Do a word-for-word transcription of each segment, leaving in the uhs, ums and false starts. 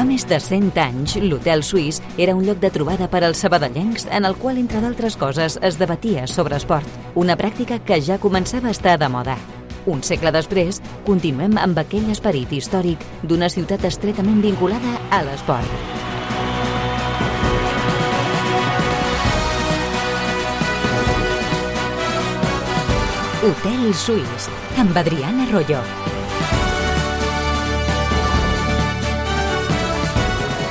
Fa més de cent anys, l'Hotel Suís era un lloc de trobada per als sabadellencs en el qual, entre d'altres coses, es debatia sobre esport, una pràctica que ja començava a estar de moda. Un segle després, continuem amb aquell esperit històric d'una ciutat estretament vinculada a l'esport. Hotel Suís, amb Adriana Arroyo.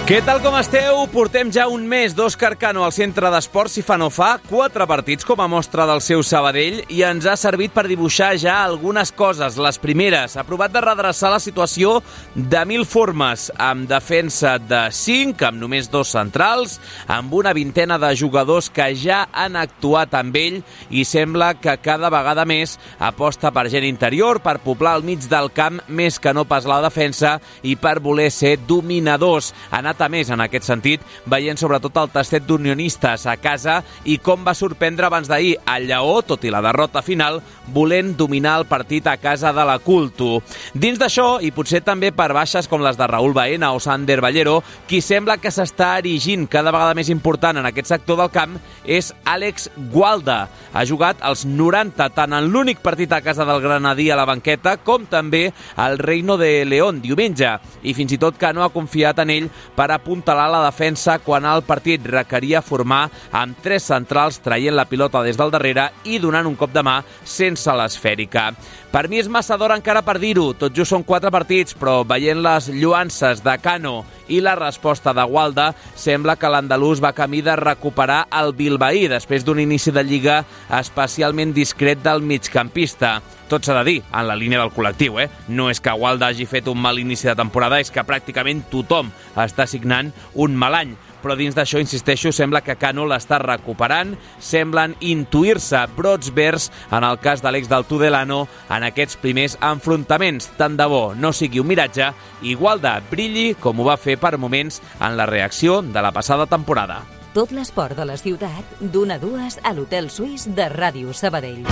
Què tal com esteu? Portem ja un mes d'Òscar Cano al centre d'esports i fa no fa quatre partits com a mostra del seu Sabadell i ens ha servit per dibuixar ja algunes coses. Les primeres, ha provat de redreçar la situació de mil formes, amb defensa de cinc, amb només dos centrals, amb una vintena de jugadors que ja han actuat amb ell i sembla que cada vegada més aposta per gent interior, per poblar al mig del camp més que no pas la defensa i per voler ser dominadors. Ha anat a més en aquest sentit, veient sobretot el tastet d'unionistes a casa i com va sorprendre abans d'ahir el Lleó, tot i la derrota final, volent dominar el partit a casa de la Culto. Dins d'això, i potser també per baixes com les de Raúl Baena o Sander Ballero, qui sembla que s'està erigint cada vegada més important en aquest sector del camp és Àlex Gualda. Ha jugat els noranta tant en l'únic partit a casa del Granadí a la banqueta com també al Reino de León diumenge, i fins i tot que no ha confiat en ell per apuntalar la defensa quan el partit requeria formar amb tres centrals traient la pilota des del darrere i donant un cop de mà sense l'esfèrica. Per mi és massa d'hora encara per dir-ho, tot just són quatre partits, però veient les lluances de Cano i la resposta de Gualda, sembla que l'andalús va camí de recuperar el bilbaí després d'un inici de Lliga especialment discret del migcampista. Tot s'ha de dir, en la línia del col·lectiu, eh? No és que Gualda hagi fet un mal inici de temporada, és que pràcticament tothom està signant un mal any. Però dins d'això, insisteixo, sembla que Cano l'està recuperant, semblen intuir-se brots verds en el cas de l'ex del Tudelano en aquests primers enfrontaments. Tant de bo no sigui un miratge i Gualda brilli com ho va fer per moments en la reacció de la passada temporada. Tot l'esport de la ciutat, d'una a dues a l'Hotel Suís de Ràdio Sabadell.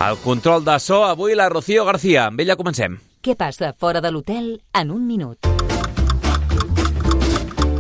Al control de so, avui la Rocío García. Amb ella comencem. Què passa fora de l'hotel en un minut?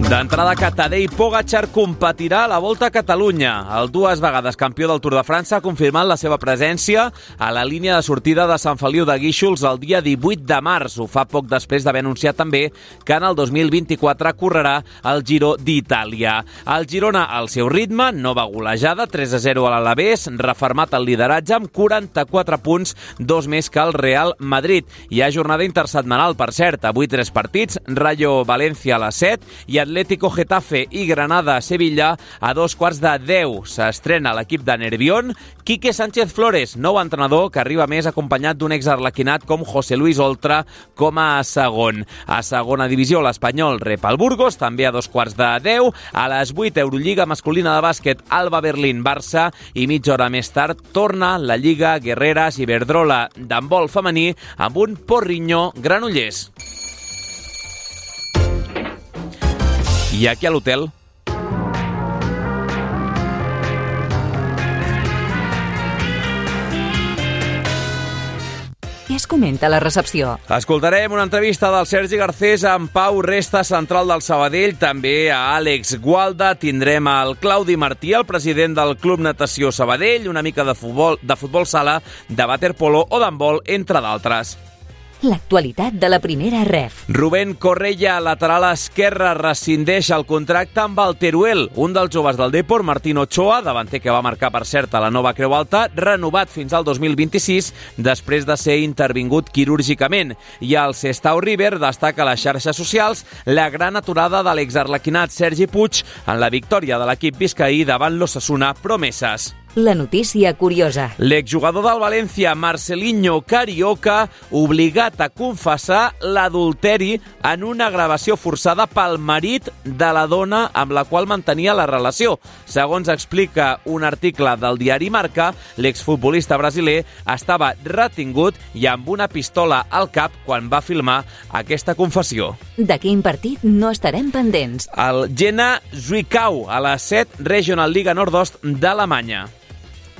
D'entrada, que Tadej Pogačar competirà a la Volta a Catalunya. El dues vegades campió del Tour de França ha confirmat la seva presència a la línia de sortida de Sant Feliu de Guíxols el dia divuit de març. Ho fa poc després d'haver anunciat també que en el dos mil vint-i-quatre correrà el Giro d'Itàlia. El Girona, al seu ritme, nova golejada, tres a zero a l'Alavés, refermat el lideratge amb quaranta-quatre punts, dos més que el Real Madrid. Hi ha jornada intersetmanal, per cert, avui tres partits, Rayo València a les set i Atlético Getafe i Granada Sevilla a dos quarts de deu. S'estrena l'equip de Nervión. Quique Sánchez Flores, nou entrenador que arriba més acompanyat d'un exarlequinat com José Luis Oltra com a segon. A segona divisió, l'Espanyol rep el Burgos, també a dos quarts de deu. A les vuit, Eurolliga masculina de bàsquet, Alba Berlín Barça, i mitja hora més tard torna la Lliga Guerreras Iberdrola d'handbol femení amb un Porriño Granollers. I aquí a l'hotel. Què es comenta a la recepció? Escoltarem una entrevista del Sergi Garcés amb Pau Resta, central del Sabadell, també a Àlex Gualda. Tindrem el Claudi Martí, el president del Club Natació Sabadell, una mica de futbol, de futbol sala, de waterpolo o d'handbol, entre d'altres. L'actualitat de la primera ref. Rubén Correia, lateral esquerre, rescindeix el contracte amb el Teruel. Un dels joves del Depor, Martín Ochoa, davanter que va marcar, per cert, a la nova Creu Alta, renovat fins al dos mil vint-i-sis després de ser intervingut quirúrgicament. I el Sestao River destaca a les xarxes socials la gran aturada de l'exarlequinat Sergi Puig en la victòria de l'equip biscaí davant l'Osasuna Promeses. La notícia curiosa. L'exjugador del València, Marcelinho Carioca, obligat a confessar l'adulteri en una gravació forçada pel marit de la dona amb la qual mantenia la relació. Segons explica un article del diari Marca, l'exfutbolista brasiler estava retingut i amb una pistola al cap quan va filmar aquesta confessió. De quin partit no estarem pendents? El Jena Zwickau, a la set Regional Liga Nordost d'Alemanya.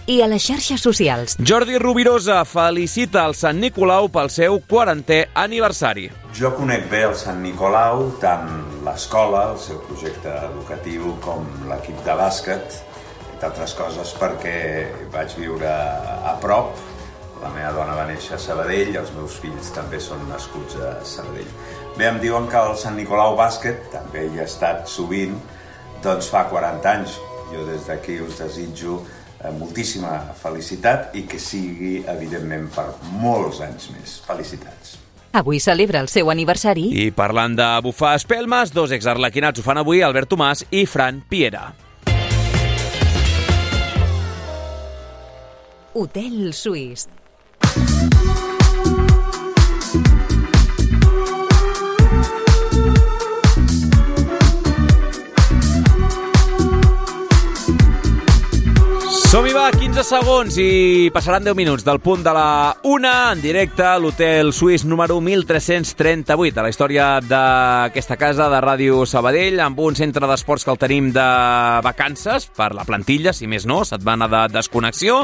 I a les xarxes socials. Jordi Rubirosa felicita el Sant Nicolau pel seu quarantè aniversari. Jo conec bé el Sant Nicolau, tant l'escola, el seu projecte educatiu, com l'equip de bàsquet, entre altres coses perquè vaig viure a prop. La meva dona va néixer a Sabadell i els meus fills també són nascuts a Sabadell. Bé, em diuen que el Sant Nicolau Bàsquet, també hi he estat sovint, doncs fa quaranta anys. Jo des d'aquí us desitjo moltíssima felicitat i que sigui, evidentment, per molts anys més. Felicitats. Avui celebra el seu aniversari. I parlant de bufar espelmes, dos exarlequinats ho fan avui, Albert Tomàs i Fran Piera. Hotel Suís. Som-hi, va, quinze segons i passaran deu minuts del punt de la una en directe a l'Hotel Suís número mil tres-cents trenta-vuit, a la història d'aquesta casa de Ràdio Sabadell, amb un centre d'esports que el tenim de vacances per la plantilla, si més no, setmana de desconnexió.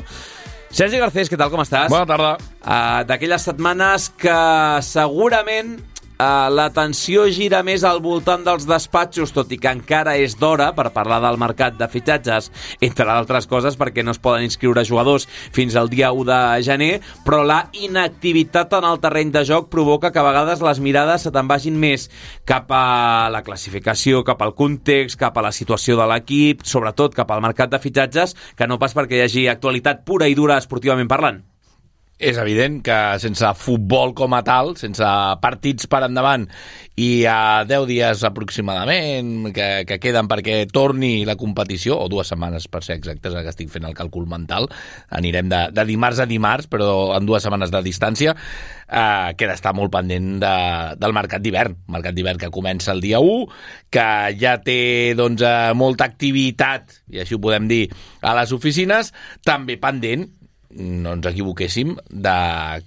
Sergi Garcés, què tal, com estàs? Bona tarda. Uh, D'aquelles setmanes que segurament Uh, l'atenció gira més al voltant dels despatxos, tot i que encara és d'hora per parlar del mercat de fitxatges, entre altres coses perquè no es poden inscriure jugadors fins al dia u de gener, però la inactivitat en el terreny de joc provoca que a vegades les mirades se te'n vagin més cap a la classificació, cap al context, cap a la situació de l'equip, sobretot cap al mercat de fitxatges, que no pas perquè hi hagi actualitat pura i dura esportivament parlant. És evident que sense futbol com a tal, sense partits per endavant i a deu dies aproximadament que, que queden perquè torni la competició, o dues setmanes per ser exactes, que estic fent el càlcul mental, anirem de, de dimarts a dimarts, però en dues setmanes de distància, eh, queda estar molt pendent de, del mercat d'hivern, mercat d'hivern que comença el dia u, que ja té doncs, molta activitat, i així ho podem dir, a les oficines, també pendent, no ens equivoquéssim, de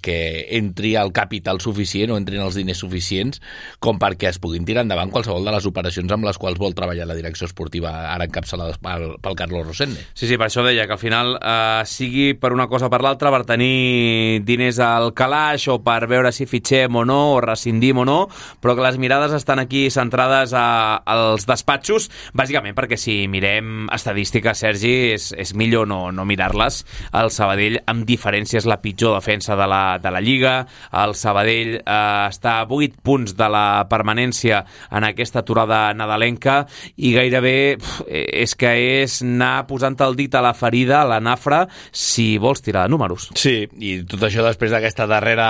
que entri el capital suficient o entrin els diners suficients com perquè es puguin tirar endavant qualsevol de les operacions amb les quals vol treballar la direcció esportiva ara encapçalada pel, pel Carlos Rosende. Sí, sí, per això deia que al final eh, sigui per una cosa o per l'altra, per tenir diners al calaix o per veure si fitxem o no o rescindim o no, però que les mirades estan aquí centrades a, als despatxos, bàsicament perquè si mirem estadístiques, Sergi, és, és millor no, no mirar-les. El Sabadell amb diferència és la pitjor defensa de la, de la Lliga. El Sabadell eh, està a vuit punts de la permanència en aquesta aturada nadalenca i gairebé pf, és que és anar posant el dit a la ferida, a la nafra, si vols tirar de números. Sí, i tot això després d'aquesta darrera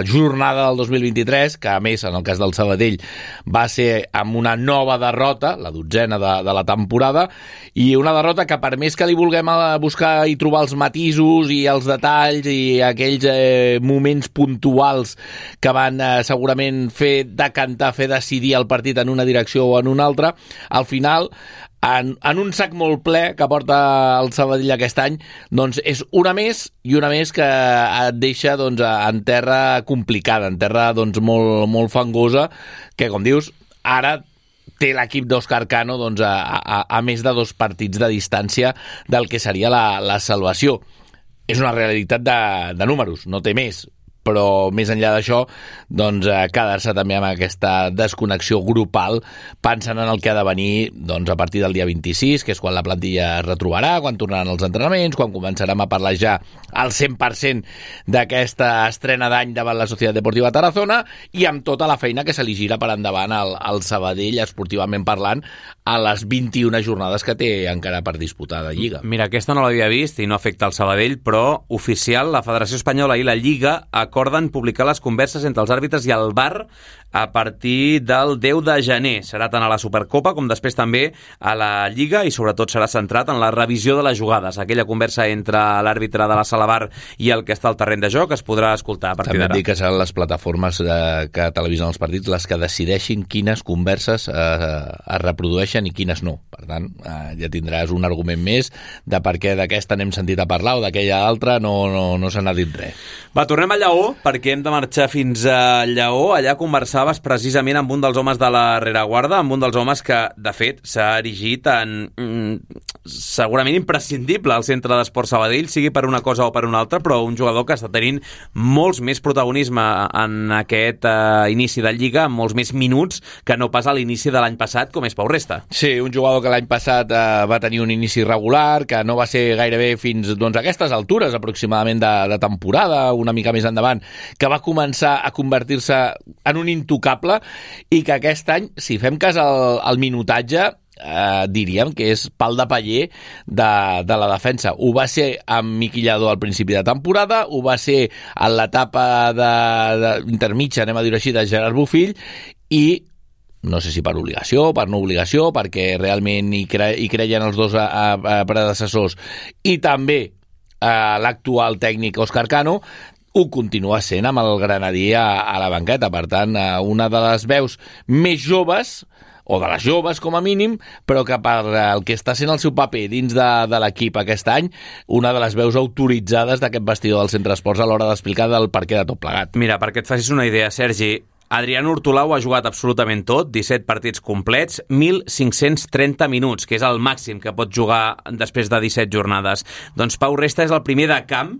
jornada del dos mil vint-i-tres, que a més, en el cas del Sabadell, va ser amb una nova derrota, la dotzena de, de la temporada, i una derrota que per més que li vulguem buscar i trobar els matisos i els detalls i aquells eh, moments puntuals que van eh, segurament fer decantar, fer decidir el partit en una direcció o en una altra, al final, en, en un sac molt ple que porta el Sabadell aquest any, doncs és una més i una més que et deixa doncs, en terra complicada, en terra doncs, molt, molt fangosa, que com dius, ara té l'equip d'Òscar Cano doncs, a, a, a més de dos partits de distància del que seria la, la salvació. És una realitat de, de números, no té més, però més enllà d'això, doncs, eh, quedar-se també amb aquesta desconnexió grupal, pensant en el que ha de venir doncs, a partir del dia vint-i-sis, que és quan la plantilla es retrobarà, quan tornaran els entrenaments, quan començarem a parlar ja al cent per cent d'aquesta estrena d'any davant la Societat Deportiva Tarazona i amb tota la feina que se li gira per endavant al, al Sabadell, esportivament parlant, a les vint-i-una jornades que té encara per disputar de Lliga. Mira, aquesta no l'havia vist i no afecta el Sabadell, però oficial, la Federació Espanyola i la Lliga acorden publicar les converses entre els àrbitres i el V A R a partir del deu de gener. Serà tant a la Supercopa com després també a la Lliga i sobretot serà centrat en la revisió de les jugades. Aquella conversa entre l'àrbitre de la sala V A R i el que està al terreny de joc es podrà escoltar a partir d'ara. També et dic que seran les plataformes eh, que televisen els partits les que decideixin quines converses eh, es reprodueixen i quines no. Per tant, eh, ja tindràs un argument més de per què d'aquesta n'hem sentit a parlar o d'aquella altra no, no, no se n'ha dit res. Va, tornem a Lleó, perquè hem de marxar fins a Lleó. Allà conversaves precisament amb un dels homes de la rereguarda, amb un dels homes que, de fet, s'ha erigit en mm, segurament imprescindible al Centre d'Esports Sabadell, sigui per una cosa o per una altra, però un jugador que està tenint molts més protagonisme en aquest eh, inici de Lliga, amb molts més minuts que no pas a l'inici de l'any passat, com és Pau Resta. Sí, un jugador que l'any passat eh, va tenir un inici regular, que no va ser gairebé fins doncs, a aquestes altures aproximadament de, de temporada, una mica més endavant, que va començar a convertir-se en un intocable i que aquest any, si fem cas al, al minutatge, eh, diríem que és pal de paller de, de la defensa. Ho va ser amb Miqui Lladó al principi de temporada, ho va ser en l'etapa de, de intermitja, anem a dir així, de Gerard Bofill, i no sé si per obligació, per no obligació, perquè realment hi, cre hi creien els dos a, a, a predecessors, i també a l'actual tècnic Òscar Cano, ho continua sent amb el Granadí a, a la banqueta. Per tant, una de les veus més joves, o de les joves com a mínim, però que per el que està sent el seu paper dins de, de l'equip aquest any, una de les veus autoritzades d'aquest vestidor del Centre d'Esports a l'hora d'explicar del perquè de tot plegat. Mira, perquè et facis una idea, Sergi, Adrián Hortolà ha jugat absolutament tot, disset partits complets, mil cinc-cents trenta minuts, que és el màxim que pot jugar després de disset jornades. Doncs Pau Resta és el primer de camp,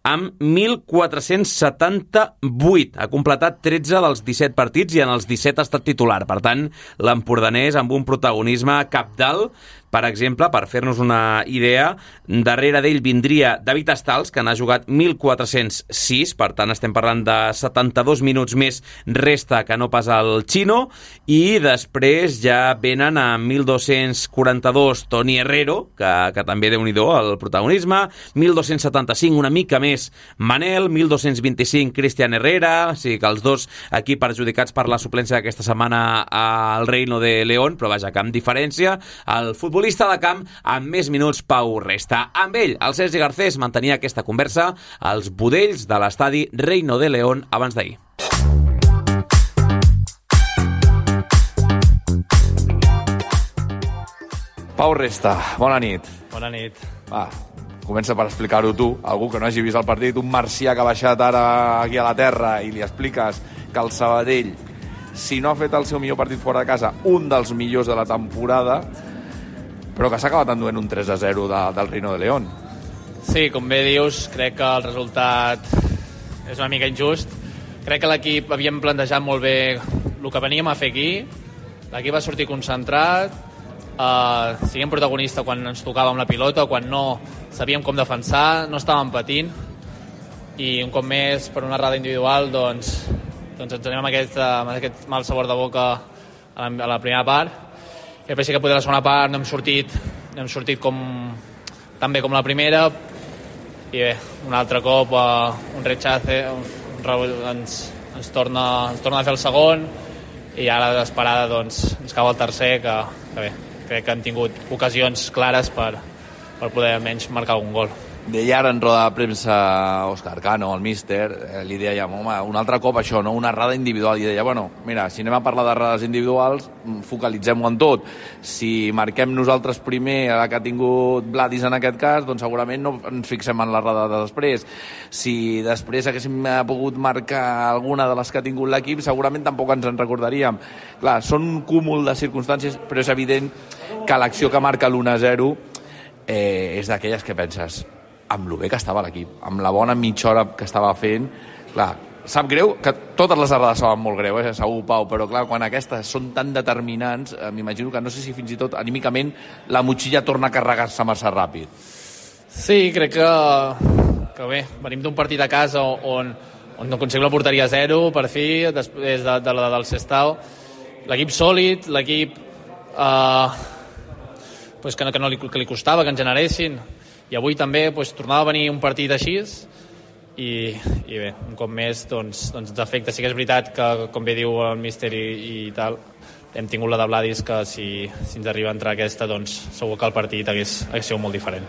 amb mil quatre-cents setanta-vuit. Ha completat tretze dels disset partits i en els disset ha estat titular. Per tant, l'empordanès amb un protagonisme cabdal. Per exemple, per fer-nos una idea, darrere d'ell vindria David Estals, que n'ha jugat mil quatre-cents sis, per tant estem parlant de setanta-dos minuts més Resta que no pas el Chino, i després ja venen a mil dos-cents quaranta-dos Toni Herrero, que, que també déu-n'hi-do el protagonisme, mil dos-cents setanta-cinc una mica més Manel, mil dos-cents vint-i-cinc Cristian Herrera, o sigui que els dos aquí perjudicats per la suplència d'aquesta setmana al Reino de León, però vaja, que amb diferència, el futbol de camp amb més minuts Pau Resta. Amb ell, el Sergi Garcés mantenia aquesta conversa als budells de l'estadi Reino de León abans d'ahir. Pau Resta, bona nit. Bona nit. Va, comença per explicar-ho tu, algú que no hagi vist el partit, un marcià que ha baixat ara aquí a la terra i li expliques que el Sabadell, si no ha fet el seu millor partit fora de casa, un dels millors de la temporada, però que s'ha acabat enduent un tres a zero de, del Reino de León. Sí, com bé dius, crec que el resultat és una mica injust. Crec que l'equip havíem plantejat molt bé el que veníem a fer aquí. L'equip va sortir concentrat, eh, siguem protagonista quan ens tocàvem la pilota, quan no sabíem com defensar, no estàvem patint, i un cop més, per una errada individual, doncs, doncs ens anem amb aquest, amb aquest mal sabor de boca a la, a la primera part. I després sí que potser la segona part no hem sortit, no hem sortit com, tan bé com la primera, i bé, un altre cop uh, un rechace un, un, ens, ens, torna, ens torna a fer el segon, i ara d'esperada doncs, ens cau el tercer, que, que bé, crec que han tingut ocasions clares per, per poder almenys marcar algun gol. Deia ara en roda de premsa Òscar Cano, el míster, eh, li deia, home, un altre cop això, no? Una errada individual. I deia, bueno, mira, si anem a parlar d'errades individuals, focalitzem-ho en tot. Si marquem nosaltres primer la que ha tingut Vladis en aquest cas, doncs segurament no ens fixem en l'errada de després. Si després haguéssim pogut marcar alguna de les que ha tingut l'equip, segurament tampoc ens en recordaríem. Clar, són un cúmul de circumstàncies, però és evident que l'acció que marca l'u a zero eh, és d'aquelles que penses, amb lo bé que estava l'equip, amb la bona mitja hora que estava fent, clar, sap greu, que totes les errades saben molt greu, eh, segur, Pau, però clar, quan aquestes són tan determinants, eh, m'imagino que no sé si fins i tot anímicament la motxilla torna a carregar-se massa ràpid. Sí, crec que, que bé, venim d'un partit a casa on, on no aconseguim la porteria zero, per fi, després de, de la del Sestao. L'equip sòlid, l'equip eh, pues que, no, que, no li, que li costava que en generessin, i avui també pues, tornava a venir un partit així, i, i bé, un cop més doncs, doncs ens afecta. Sí que és veritat que, com bé diu el míster i, i tal, hem tingut la de Vladis, que si, si ens arriba a entrar aquesta, doncs segur que el partit hagués, hagués sigut molt diferent.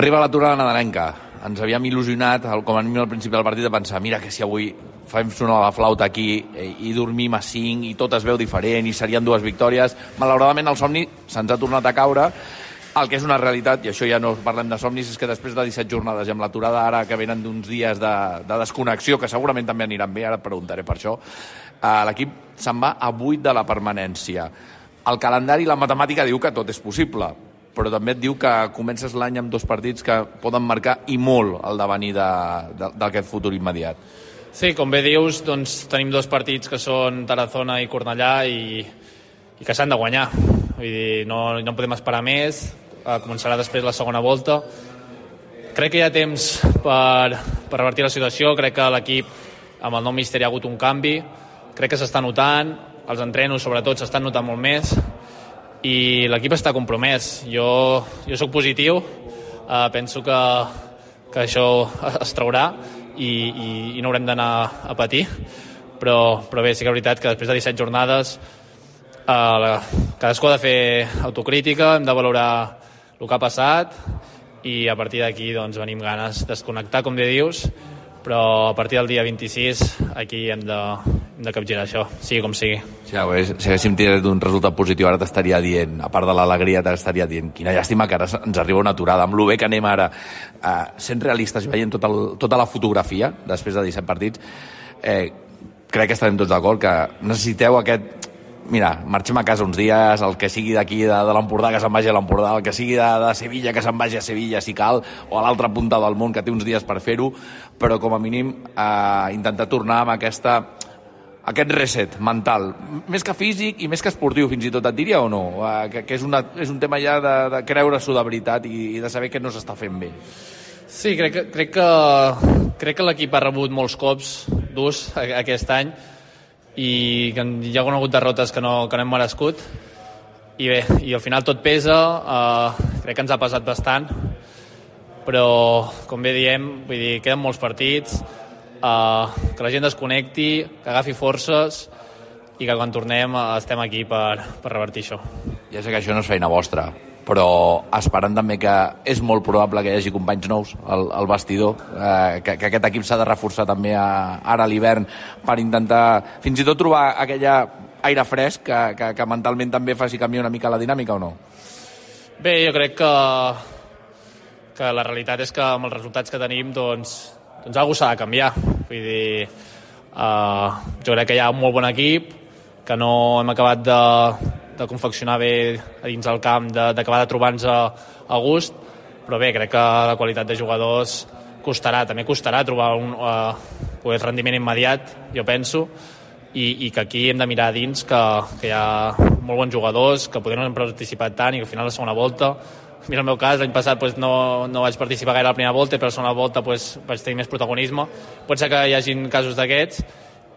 Arriba l'aturada nadalenca. Ens havíem il·lusionat, com a mínim al principi del partit, de pensar, mira que si avui fem sonar la flauta aquí i dormim a cinc i tot es veu diferent i serien dues victòries. Malauradament el somni se'ns ha tornat a caure, El que és una realitat, i això ja no parlem de somnis, és que després de disset jornades i amb l'aturada ara que venen d'uns dies de, de desconnexió, que segurament també aniran bé, ara et preguntaré per això, eh, l'equip se'n va a vuit de la permanència. El calendari i la matemàtica diu que tot és possible, però també et diu que comences l'any amb dos partits que poden marcar i molt el devenir d'aquest futur immediat. Sí, com bé dius, doncs tenim dos partits que són Tarazona i Cornellà i, i que s'han de guanyar. Vull dir, no, no podem esperar més, eh, començarà després la segona volta. Crec que hi ha temps per, per revertir la situació, crec que l'equip amb el nou míster hi ha hagut un canvi, crec que s'està notant, els entrenos sobretot s'estan notant molt més i l'equip està compromès. Jo, jo sóc positiu, eh, penso que, que això es traurà i, i, i no haurem d'anar a patir, però, però bé, sí que és veritat que després de disset jornades Uh, cadascú ha de fer autocrítica, hem de valorar el que ha passat i a partir d'aquí doncs, venim ganes de desconnectar, com bé dius, però a partir del dia vint-i-sis aquí hem de, hem de capgirar això, sigui com sigui. Sí, si haguéssim tingut un resultat positiu ara t'estaria dient, a part de l'alegria t'estaria dient, quina llàstima que ara ens arriba una aturada, amb lo bé que anem ara uh, sent realistes i veient tot el, tota la fotografia després de disset partits, eh, crec que estarem tots d'acord que necessiteu aquest mira, marxem a casa uns dies, el que sigui d'aquí de, de l'Empordà que se'n vagi a l'Empordà, el que sigui de, de Sevilla que se'n vagi a Sevilla si cal, o a l'altra punta del món que té uns dies per fer-ho, però com a mínim eh, intentar tornar amb aquesta, aquest reset mental, més que físic i més que esportiu fins i tot, et diria o no? Eh, que, que és, una, és un tema ja de, de creure-s'ho de veritat i, i de saber que no s'està fent bé. Sí, crec que, crec que, crec que l'equip ha rebut molts cops durs aquest any i que hi ha hagut derrotes que no, que no hem merescut i bé, i al final tot pesa, uh, crec que ens ha pesat bastant, però com bé diem, vull dir, queden molts partits, uh, que la gent desconnecti, que agafi forces i que quan tornem uh, estem aquí per, per revertir això. Ja sé que això no és feina vostra, però esperant també que és molt probable que hi hagi companys nous al, al vestidor, eh, que, que aquest equip s'ha de reforçar també a, ara a l'hivern per intentar fins i tot trobar aquella aire fresc que, que, que mentalment també faci canviar una mica la dinàmica o no? Bé, jo crec que, que la realitat és que amb els resultats que tenim doncs, doncs alguna cosa s'ha de canviar. Vull dir, eh, jo crec que hi ha un molt bon equip, que no hem acabat de de confeccionar bé a dins del camp, d'acabar de, de trobar-nos a, a gust, però bé, crec que la qualitat de jugadors costarà, també costarà trobar un uh, pues, rendiment immediat, jo penso, i, i que aquí hem de mirar a dins que, que hi ha molt bons jugadors, que potser no hem participat tant i que al final la segona volta, mira el meu cas, l'any passat pues, no, no vaig participar gaire a la primera volta i per la segona volta pues, vaig tenir més protagonisme, pot ser que hi hagin casos d'aquests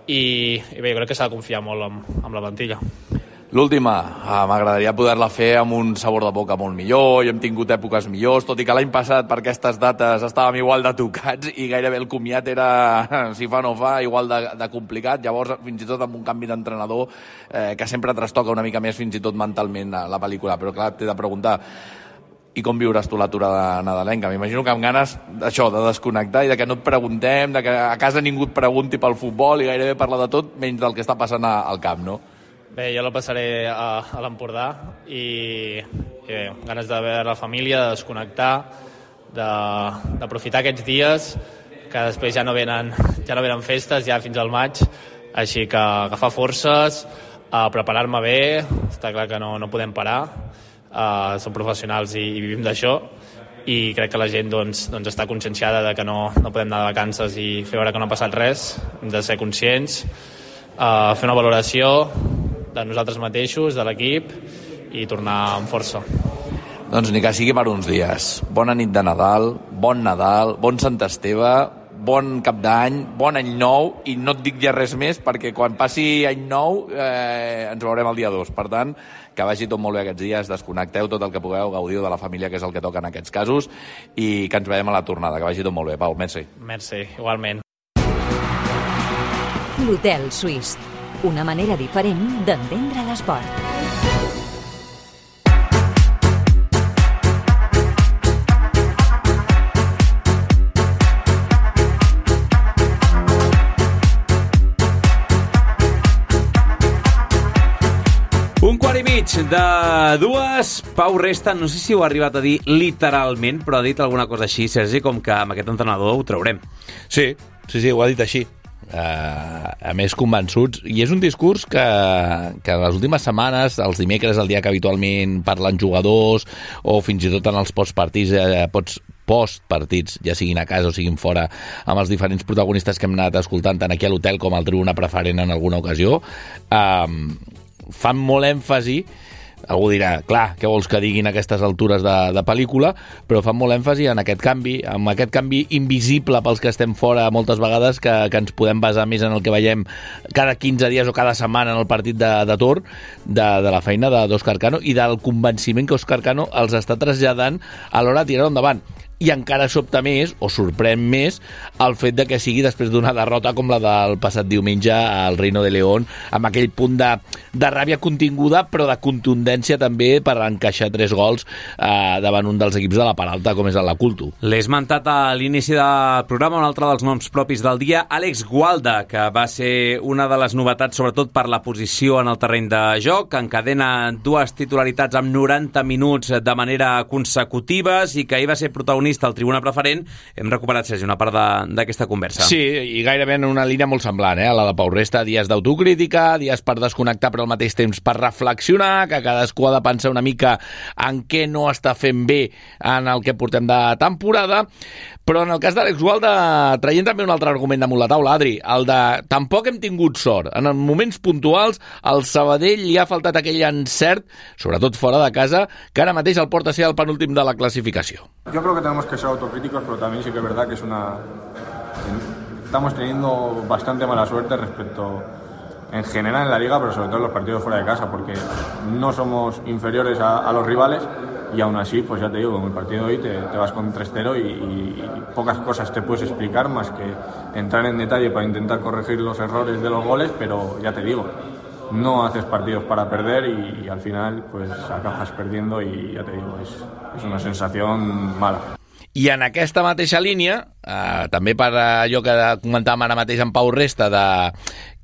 i, i bé, jo crec que s'ha de confiar molt amb, amb la plantilla. L'última, eh, m'agradaria poder-la fer amb un sabor de boca molt millor i hem tingut èpoques millors, tot i que l'any passat per aquestes dates estàvem igual de tocats i gairebé el comiat era, si fa no fa, igual de, de complicat. Llavors, fins i tot amb un canvi d'entrenador eh, que sempre trastoca una mica més fins i tot mentalment la, la pel·lícula. Però clar, t'he de preguntar, i com viuràs tu l'aturada nadalenca? M'imagino que amb ganes d'això, de desconnectar i de que no et preguntem, de que a casa ningú et pregunti pel futbol i gairebé parla de tot menys del que està passant al camp, no? Bé, jo la passaré a, a l'Empordà i, i bé, ganes de veure la família, de desconnectar, d'aprofitar aquests dies que després ja no venen, ja no venen festes, ja fins al maig, així que agafar forces, a preparar-me bé, està clar que no, no podem parar, uh, som professionals i, i vivim d'això, i crec que la gent doncs, doncs està conscienciada de que no, no podem anar de vacances i fer veure que no ha passat res, hem de ser conscients, uh, fer una valoració de nosaltres mateixos, de l'equip, i tornar amb força. Doncs ni que sigui per uns dies. Bona nit de Nadal, bon Nadal, bon Sant Esteve, bon cap d'any, bon any nou, i no et dic ja res més perquè quan passi any nou eh, ens veurem el dia dos. Per tant, que vagi tot molt bé aquests dies, desconnecteu tot el que pugueu, gaudiu de la família, que és el que toca en aquests casos, i que ens veiem a la tornada. Que vagi tot molt bé. Pau, merci. Merci, igualment. L'Hotel Suís. Una manera diferent d'entendre l'esport. Un quart i mig mig de dues. Pau Resta, no sé si ho ha arribat a dir literalment, però ha dit alguna cosa així, Sergi, com que amb aquest entrenador ho traurem. Sí, sí, sí, ho ha dit així. Uh, a més convençuts, i és un discurs que, que en les últimes setmanes, els dimecres, el dia que habitualment parlen jugadors o fins i tot en els postpartits, eh, pots postpartits, ja siguin a casa o siguin fora, amb els diferents protagonistes que hem anat escoltant tant aquí a l'hotel com al Tribuna Preferent en alguna ocasió, uh, fan molt èmfasi. Algú dirà, clar, què vols que diguin a aquestes altures de, de pel·lícula, però fan molt èmfasi en aquest canvi, en aquest canvi invisible pels que estem fora moltes vegades, que, que ens podem basar més en el que veiem cada quinze dies o cada setmana en el partit de, de torn, de, de la feina d'Òscar Cano i del convenciment que Òscar Cano els està traslladant a l'hora de tirar endavant. I encara sobta més, o sorprèn més, el fet de que sigui després d'una derrota com la del passat diumenge al Reino de León, amb aquell punt de, de ràbia continguda, però de contundència també per encaixar tres gols eh, davant un dels equips de la part alta, com és el Culto. L'he esmentat a l'inici del programa, un altre dels noms propis del dia, Àlex Gualda, que va ser una de les novetats, sobretot per la posició en el terreny de joc, encadena dues titularitats amb noranta minuts de manera consecutives i que ahir va ser protagonista al Tribuna Preferent. Hem recuperat, Sergi, una part d'aquesta conversa. Sí, i gairebé en una línia molt semblant, eh? La de Pau Resta, dies d'autocrítica, dies per desconnectar, però al mateix temps per reflexionar, que cadascú ha de pensar una mica en què no està fent bé en el que portem de temporada. Però en el cas d'Àlex Gualda, traient també un altre argument damunt la taula, Adri, el de tampoc hem tingut sort. En els moments puntuals, al Sabadell li ha faltat aquell encert, sobretot fora de casa, que ara mateix el porta a ser el penúltim de la classificació. Yo creo que tenemos que ser autocríticos, pero también sí que es verdad que es una... Estamos teniendo bastante mala suerte respecto, en general en la Liga, pero sobre todo en los partidos fuera de casa, porque no somos inferiores a, a los rivales. Y aún así, pues ya te digo, en el partido de hoy te, te vas con tres cero y, y, y pocas cosas te puedes explicar más que entrar en detalle para intentar corregir los errores de los goles, pero ya te digo, no haces partidos para perder y, y al final pues acabas perdiendo y ya te digo, es, es una sensación mala. I en aquesta mateixa línia, eh, també per allò que comentàvem ara mateix amb Pau Resta, de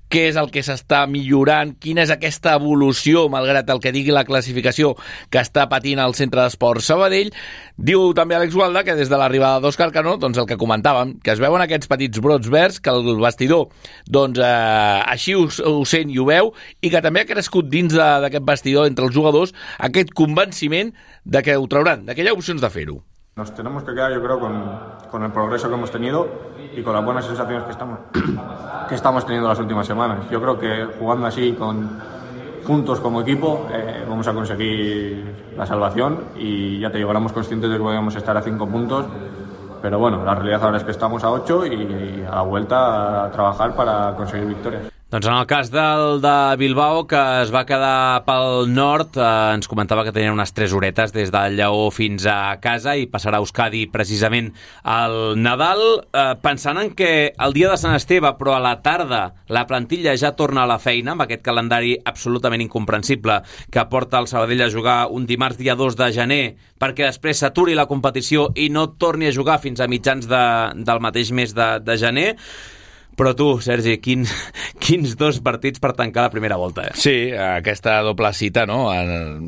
què és el que s'està millorant, quina és aquesta evolució, malgrat el que digui la classificació, que està patint el Centre d'Esports Sabadell. Diu també Àlex Gualda que des de l'arribada d'Òscar Cano, doncs el que comentàvem, que es veuen aquests petits brots verds, que el vestidor doncs, eh, així ho, ho sent i ho veu, i que també ha crescut dins d'aquest vestidor entre els jugadors aquest convenciment de que ho trauran, de que hi ha opcions de fer-ho. Nos tenemos que quedar, yo creo, con, con el progreso que hemos tenido y con las buenas sensaciones que estamos, que estamos teniendo las últimas semanas. Yo creo que jugando así, con, juntos como equipo, eh, vamos a conseguir la salvación y ya te digo, éramos conscientes de que podíamos estar a cinco puntos, pero bueno, la realidad ahora es que estamos a ocho y, y a la vuelta a trabajar para conseguir victorias. Doncs en el cas del de Bilbao, que es va quedar pel nord, eh, ens comentava que tenien unes tres horetes des del Lleó fins a casa i passarà a Euskadi precisament al Nadal, eh, pensant en que el dia de Sant Esteve, però a la tarda, la plantilla ja torna a la feina, amb aquest calendari absolutament incomprensible que porta el Sabadell a jugar un dimarts dia dos de gener, perquè després s'aturi la competició i no torni a jugar fins a mitjans de, del mateix mes de, de gener. Però tu, Sergi, quins, quins dos partits per tancar la primera volta, eh? Sí, aquesta doble cita, no?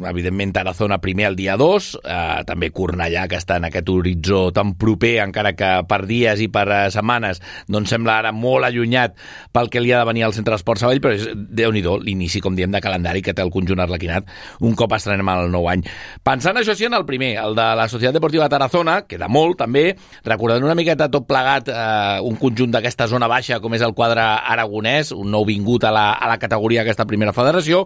Evidentment, Tarazona primer el dia dos, eh, també Cornellà, que està en aquest horitzó tan proper, encara que per dies i per setmanes, doncs sembla ara molt allunyat pel que li ha de venir al Centre d'Esports Sabadell, però és, Déu-n'hi-do, l'inici, com diem, de calendari que té el conjunt arlequinat un cop estrenem el nou any. Pensant això sí en el primer, el de la Societat Deportiva Tarazona, queda molt, també, recordant una miqueta tot plegat eh, un conjunt d'aquesta zona baixa, com és el quadre aragonès, un nou vingut a la, a la categoria d'aquesta primera federació,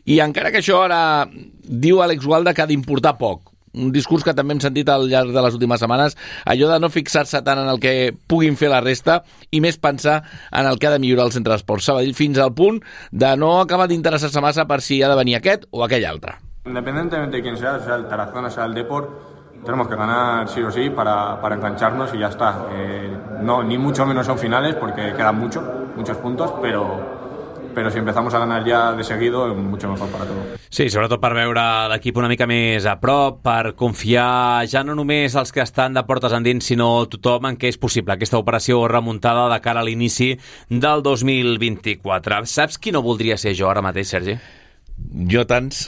i encara que això ara diu Àlex Gualda que ha d'importar poc, un discurs que també hem sentit al llarg de les últimes setmanes, allò de no fixar-se tant en el que puguin fer la resta i més pensar en el que ha de millorar el Centre d'Esports Sabadell, fins al punt de no acabar d'interessar-se massa per si ha de venir aquest o aquell altre. Independientemente de quién sea, sea el Tarazona, sea el Depor, tenemos que ganar sí o sí para, para engancharnos y ya está. Eh, no, ni mucho menos son finales porque quedan mucho, muchos puntos, pero, pero si empezamos a ganar ya de seguido, es mucho mejor para todos. Sí, sobretot per veure l'equip una mica més a prop, per confiar ja no només els que estan de portes endins, sinó tothom en què és possible aquesta operació remuntada de cara a l'inici del dos mil vint-i-quatre. Saps qui no voldria ser jo ara mateix, Sergi? Jo tants...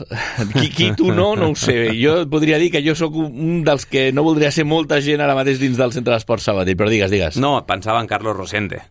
Qui, qui tu no, no ho sé. Jo podria dir que jo sóc un dels que no voldria ser molta gent ara mateix dins del Centre d'Esport Sabadell, però digues, digues. No, pensava en Carlos Rosende.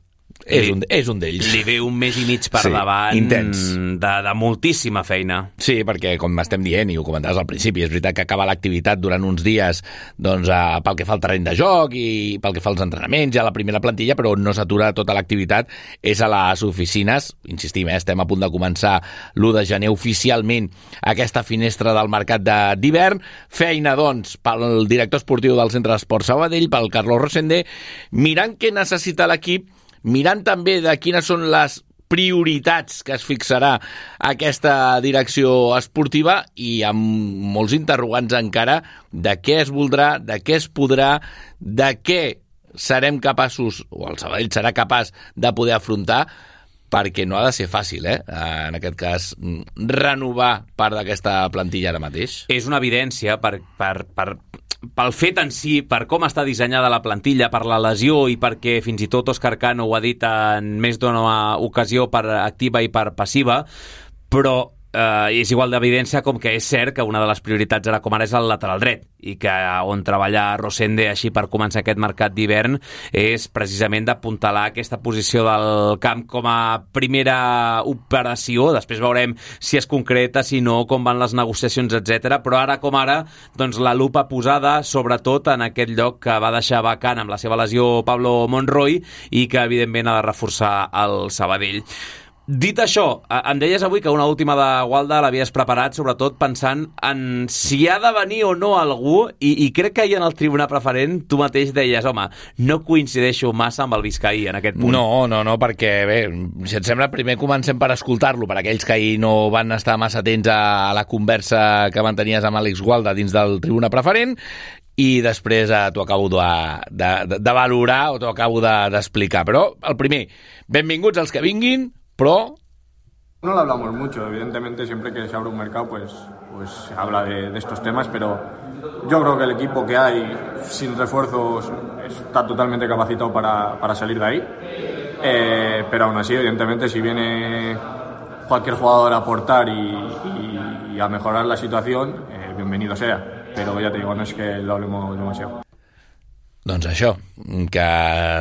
És un, és un d'ells. Li ve un mes i mig per sí, davant intens. De, de moltíssima feina. Sí, perquè com estem dient i ho comentaves al principi, és veritat que acaba l'activitat durant uns dies doncs, eh, pel que fa al terreny de joc i pel que fa als entrenaments i a la primera plantilla, però on no s'atura tota l'activitat és a les oficines. Insistim, eh, estem a punt de començar l'u de gener oficialment aquesta finestra del mercat d'hivern. Feina, doncs, pel director esportiu del Centre d'Esport Sabadell, pel Carlos Rosende, mirant què necessita l'equip, mirant també de quines són les prioritats que es fixarà aquesta direcció esportiva i amb molts interrogants encara de què es voldrà, de què es podrà, de què serem capaços, o el Sabadell serà capaç de poder afrontar, perquè no ha de ser fàcil, eh? En aquest cas, renovar part d'aquesta plantilla ara mateix. És una evidència per... per, per... pel fet en si, per com està dissenyada la plantilla, per la lesió i perquè fins i tot Òscar Cano ho ha dit en més d'una ocasió per activa i per passiva, però eh, és igual d'evidència com que és cert que una de les prioritats ara com ara és el lateral dret i que on treballa Rosende així per començar aquest mercat d'hivern és precisament d'apuntalar aquesta posició del camp com a primera operació. Després veurem si es concreta, si no, com van les negociacions, etcètera. Però ara com ara, doncs la lupa posada sobretot en aquest lloc que va deixar vacant amb la seva lesió Pablo Monroy i que evidentment ha de reforçar el Sabadell. Dit això, em deies avui que una última de Gualda l'havies preparat sobretot pensant en si ha de venir o no algú i, i crec que ahir en el tribunal preferent tu mateix deies, home, no coincideixo massa amb el Vizcaí en aquest punt. No, no, no, perquè bé, si et sembla primer comencem per escoltar-lo, per aquells que ahir no van estar massa atents a la conversa que mantenies amb Àlex Gualda dins del tribunal preferent i després eh, t'ho acabo de, de, de, de valorar o t'ho acabo d'explicar. De, però el primer, benvinguts els que vinguin, pero no lo hablamos mucho, evidentemente siempre que se abre un mercado pues, pues se habla de, de estos temas, pero yo creo que el equipo que hay sin refuerzos está totalmente capacitado para, para salir de ahí, eh, pero aún así evidentemente si viene cualquier jugador a aportar y, y, y a mejorar la situación, eh, bienvenido sea, pero ya te digo, no es que lo hablemos demasiado. Doncs això, que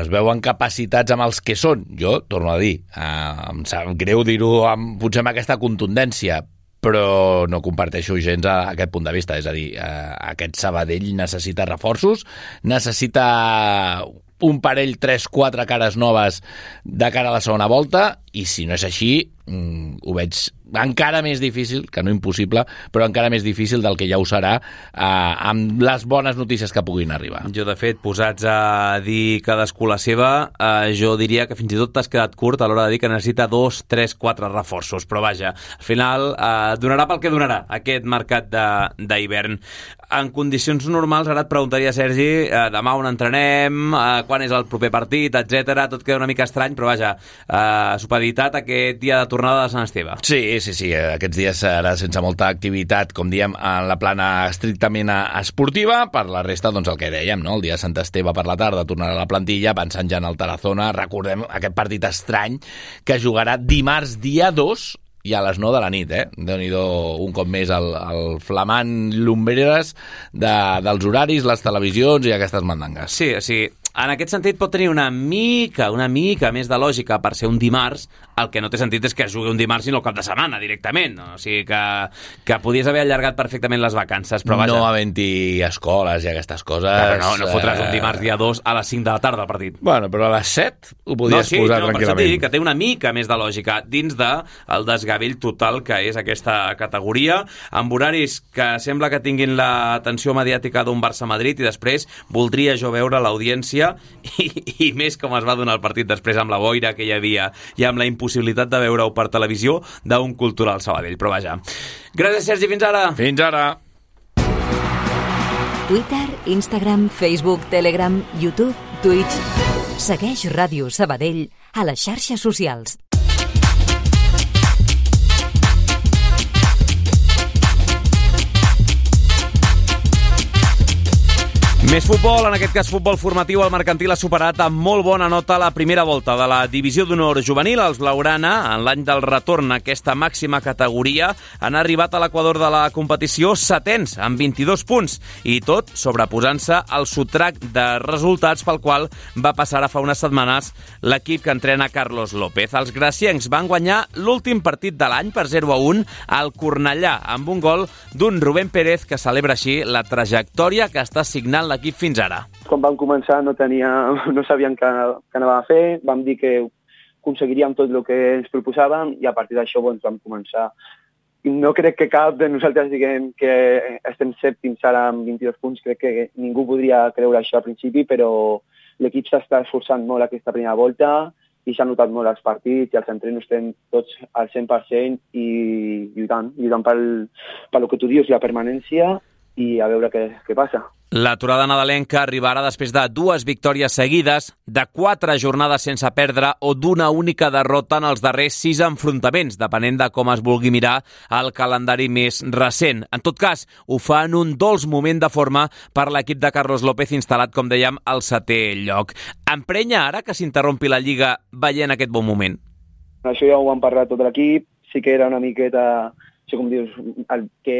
es veuen capacitats amb els que són. Jo, torno a dir, eh, em sap greu dir-ho amb, potser amb aquesta contundència, però no comparteixo gens a, a aquest punt de vista. És a dir, eh, aquest Sabadell necessita reforços, necessita un parell, tres, quatre cares noves de cara a la segona volta, i si no és així, mm, ho veig encara més difícil, que no impossible, però encara més difícil del que ja ho serà eh, amb les bones notícies que puguin arribar. Jo, de fet, posats a dir cadascú la seva, eh, jo diria que fins i tot t'has quedat curt a l'hora de dir que necessita dos, tres, quatre reforços, però vaja, al final eh, donarà pel que donarà aquest mercat d'hivern. En condicions normals, ara et preguntaria, Sergi, eh, demà on entrenem, eh, quan és el proper partit, etcètera. Tot queda una mica estrany, però vaja, eh, supeditat aquest dia de tornada de Sant Esteve. Sí, sí, sí, aquests dies serà sense molta activitat, com diem, en la plana estrictament esportiva. Per la resta, doncs el que dèiem, no? El dia de Sant Esteve per la tarda tornarà a la plantilla, pensant ja en el Tarazona. Recordem aquest partit estrany que jugarà dimarts dia dos i a les nou de la nit, eh? Déu-n'hi-do un cop més el, el flamant Lumbreras de, dels horaris, les televisions i aquestes mandangues. Sí, sí. En aquest sentit pot tenir una mica, una mica més de lògica per ser un dimarts. El que no té sentit és que es jugui un dimarts sinó el cap de setmana directament. No? O sigui que, que podies haver allargat perfectament les vacances, però vaja. No havent-hi escoles i aquestes coses. Però no, no fotràs un dimarts dia dos a les cinc de la tarda el partit. Bueno, però a les set ho podies no, sí, posar no, tranquil·lament. Per això que té una mica més de lògica dins del desgavell total que és aquesta categoria, amb horaris que sembla que tinguin l'atenció mediàtica d'un Barça-Madrid, i després voldria jo veure l'audiència i, i més com es va donar el partit després amb la boira que hi havia i amb la impossibilitat de veure-ho per televisió d'un cultural Sabadell. Però vaja. Gràcies, Sergi, fins ara. Fins ara. Twitter, Instagram, Facebook, Telegram, YouTube, Twitch. Segueix Ràdio Sabadell a les xarxes socials. Més futbol, en aquest cas futbol formatiu. El Mercantil ha superat amb molt bona nota la primera volta de la Divisió d'Honor Juvenil. Els blaugrana, en l'any del retorn a aquesta màxima categoria, han arribat a l'equador de la competició setens, amb vint-i-dos punts, i tot sobreposant-se al sotrac de resultats pel qual va passar a fa unes setmanes l'equip que entrena Carlos López. Els graciencs van guanyar l'últim partit de l'any per zero a un al Cornellà, amb un gol d'un Rubén Pérez que celebra així la trajectòria que està signant l'equip fins ara. Quan vam començar no, tenia, no sabíem què, què anàvem a fer, vam dir que aconseguiríem tot el que ens proposàvem i a partir d'això doncs, vam començar. No crec que cap de nosaltres diguem que estem sèptims ara amb vint-i-dos punts, crec que ningú podria creure això al principi, però l'equip s'està esforçant molt aquesta primera volta i s'ha notat molt els partits i els entrenos estem tots al cent per cent i lluitant, lluitant pel, pel que tu dius, la permanència i a veure què, què passa. L'aturada nadalenca arribarà després de dues victòries seguides, de quatre jornades sense perdre o d'una única derrota en els darrers sis enfrontaments, depenent de com es vulgui mirar el calendari més recent. En tot cas, ho fa en un dolç moment de forma per l'equip de Carlos López instal·lat, com dèiem, al setè lloc. Emprenya ara que s'interrompi la Lliga veient aquest bon moment? Això ja ho vam parlar tot l'equip, sí que era una miqueta, això com dius, el que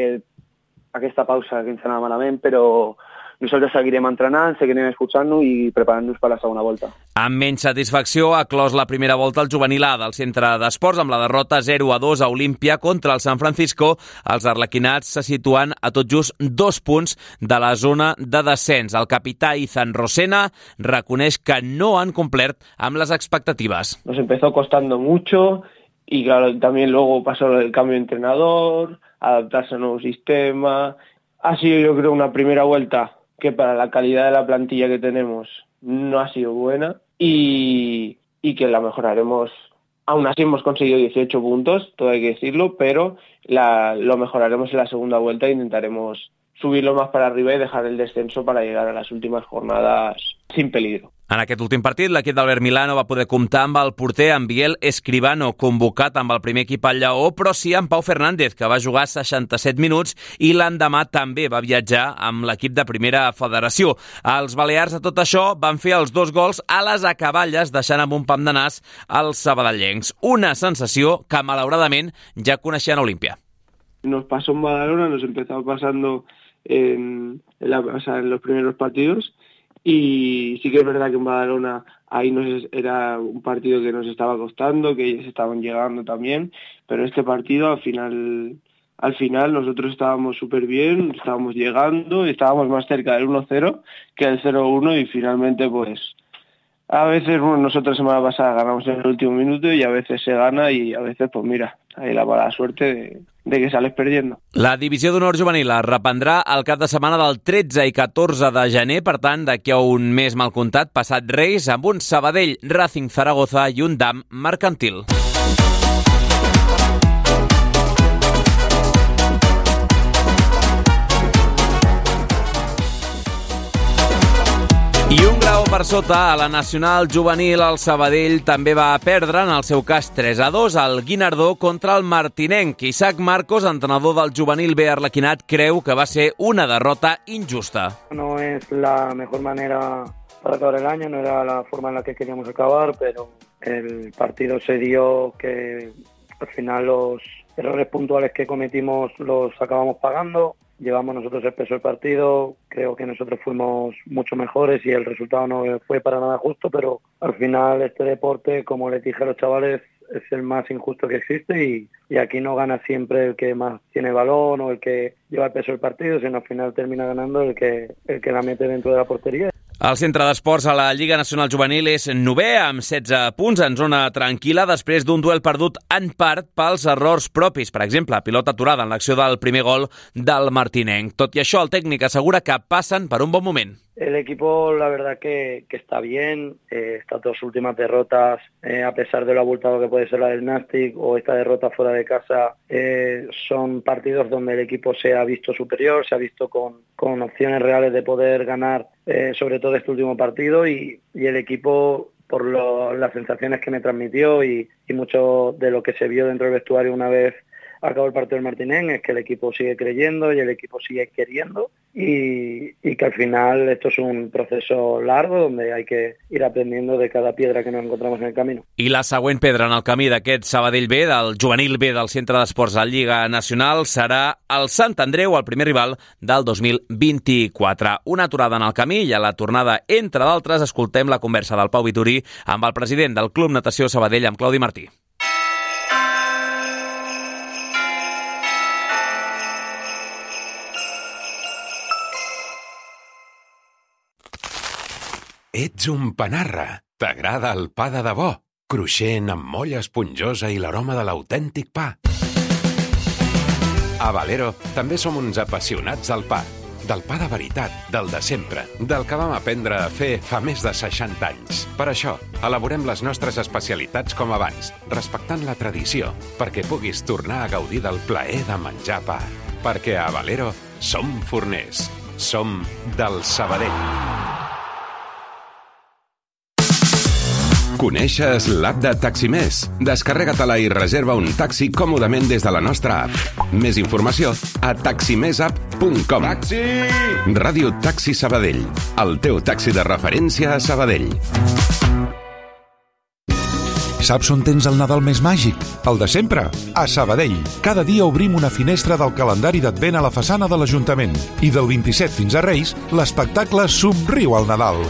aquesta pausa que ens anava malament, però nosaltres seguirem entrenant, seguirem esforçant-nos i preparant-nos per la segona volta. Amb menys satisfacció ha clos la primera volta el juvenil A del centre d'esports amb la derrota zero a dos a Olímpia contra el San Francisco. Els arlequinats se situen a tot just dos punts de la zona de descens. El capità Izan Rosena reconeix que no han complert amb les expectatives. Nos empezó costando mucho y claro, también luego pasó el cambio de entrenador, adaptarse al nuevo sistema. Ha sido, yo creo, una primera vuelta que para la calidad de la plantilla que tenemos no ha sido buena y, y que la mejoraremos. Aún así hemos conseguido dieciocho puntos, todo hay que decirlo, pero la, lo mejoraremos en la segunda vuelta e intentaremos subirlo más para arriba y dejar el descenso para llegar a las últimas jornadas sin peligro. En aquest últim partit, l'equip d'Albert Milano va poder comptar amb el porter en Biel Escribano, convocat amb el primer equip al Lleó, però sí amb Pau Fernández, que va jugar seixanta-set minuts i l'endemà també va viatjar amb l'equip de primera federació. Els balears, a tot això, van fer els dos gols a les acaballes, deixant amb un pam de nas els sabadellencs. Una sensació que, malauradament, ja coneixien a Olímpia. Nos pasó en Badalona, nos empezó pasando en, en, la, o sea, en los primeros partidos. Y sí que es verdad que en Badalona ahí nos era un partido que nos estaba costando, que ellos estaban llegando también, pero este partido al final, al final nosotros estábamos súper bien, estábamos llegando, estábamos más cerca del uno cero que del cero uno y finalmente pues a veces, bueno, nosotros semana pasada ganamos en el último minuto y a veces se gana y a veces pues mira, hay la mala suerte de, de que sales perdiendo. La Divisió d'Honor Juvenil es reprendrà el cap de setmana del tretze i catorze de gener, per tant, d'aquí a un mes mal comptat, passat Reis, amb un Sabadell, Racing Zaragoza i un D A M Mercantil. I un grau per sota a la Nacional Juvenil, el Sabadell també va perdre, en el seu cas tres a dos, al Guinardó contra el Martinenc. Isaac Marcos, entrenador del Juvenil B arlequinat, creu que va ser una derrota injusta. No es la mejor manera para acabar el año, no era la forma en la que queríamos acabar, pero el partido se dio que al final los errores puntuales que cometimos los acabamos pagando. Llevamos nosotros el peso del partido, creo que nosotros fuimos mucho mejores y el resultado no fue para nada justo, pero al final este deporte, como les dije a los chavales, es el más injusto que existe y, y aquí no gana siempre el que más tiene balón o el que lleva el peso del partido, sino al final termina ganando el que, el que la mete dentro de la portería. El centre d'esports a la Lliga Nacional Juvenil és novè, amb setze punts en zona tranquil·la, després d'un duel perdut en part pels errors propis. Per exemple, pilota aturada en l'acció del primer gol del Martinenc. Tot i això, el tècnic assegura que passen per un bon moment. El equipo, la verdad que, que está bien. Eh, estas dos últimas derrotas, eh, a pesar de lo abultado que puede ser la del Nastic o esta derrota fuera de casa, eh, son partidos donde el equipo se ha visto superior, se ha visto con, con opciones reales de poder ganar, eh, sobre todo este último partido, y, y el equipo, por lo, las sensaciones que me transmitió y, y mucho de lo que se vio dentro del vestuario una vez acabó el partido del Martinén es que el equipo sigue creyendo y el equipo sigue queriendo y, y que al final esto es un proceso largo donde hay que ir aprendiendo de cada piedra que nos encontramos en el camino. I la següent pedra en el camí d'aquest Sabadell B, del juvenil B del Centre d'Esports de Lliga Nacional, serà el Sant Andreu, el primer rival del dos mil vint-i-quatre. Una aturada en el camí i a la tornada, entre d'altres, escoltem la conversa del Pau Vitorí amb el president del Club Natació Sabadell, amb Claudi Martí. Ets un panarra. T'agrada el pa de debò, cruixent, amb molla esponjosa i l'aroma de l'autèntic pa. A Valero també som uns apassionats del pa. Del pa de veritat, del de sempre, del que vam aprendre a fer fa més de seixanta anys. Per això, elaborem les nostres especialitats com abans, respectant la tradició, perquè puguis tornar a gaudir del plaer de menjar pa. Perquè a Valero som forners. Som del Sabadell. Coneixes l'app de Taximés? Descarrega-te-la i reserva un taxi còmodament des de la nostra app. Més informació a taximessapp punt com. Taxi! Ràdio Taxi Sabadell, el teu taxi de referència a Sabadell. Saps on tens el Nadal més màgic? El de sempre, a Sabadell. Cada dia obrim una finestra del calendari d'Advent a la façana de l'Ajuntament. I del vint-i-set fins a Reis, l'espectacle Somriu al Nadal.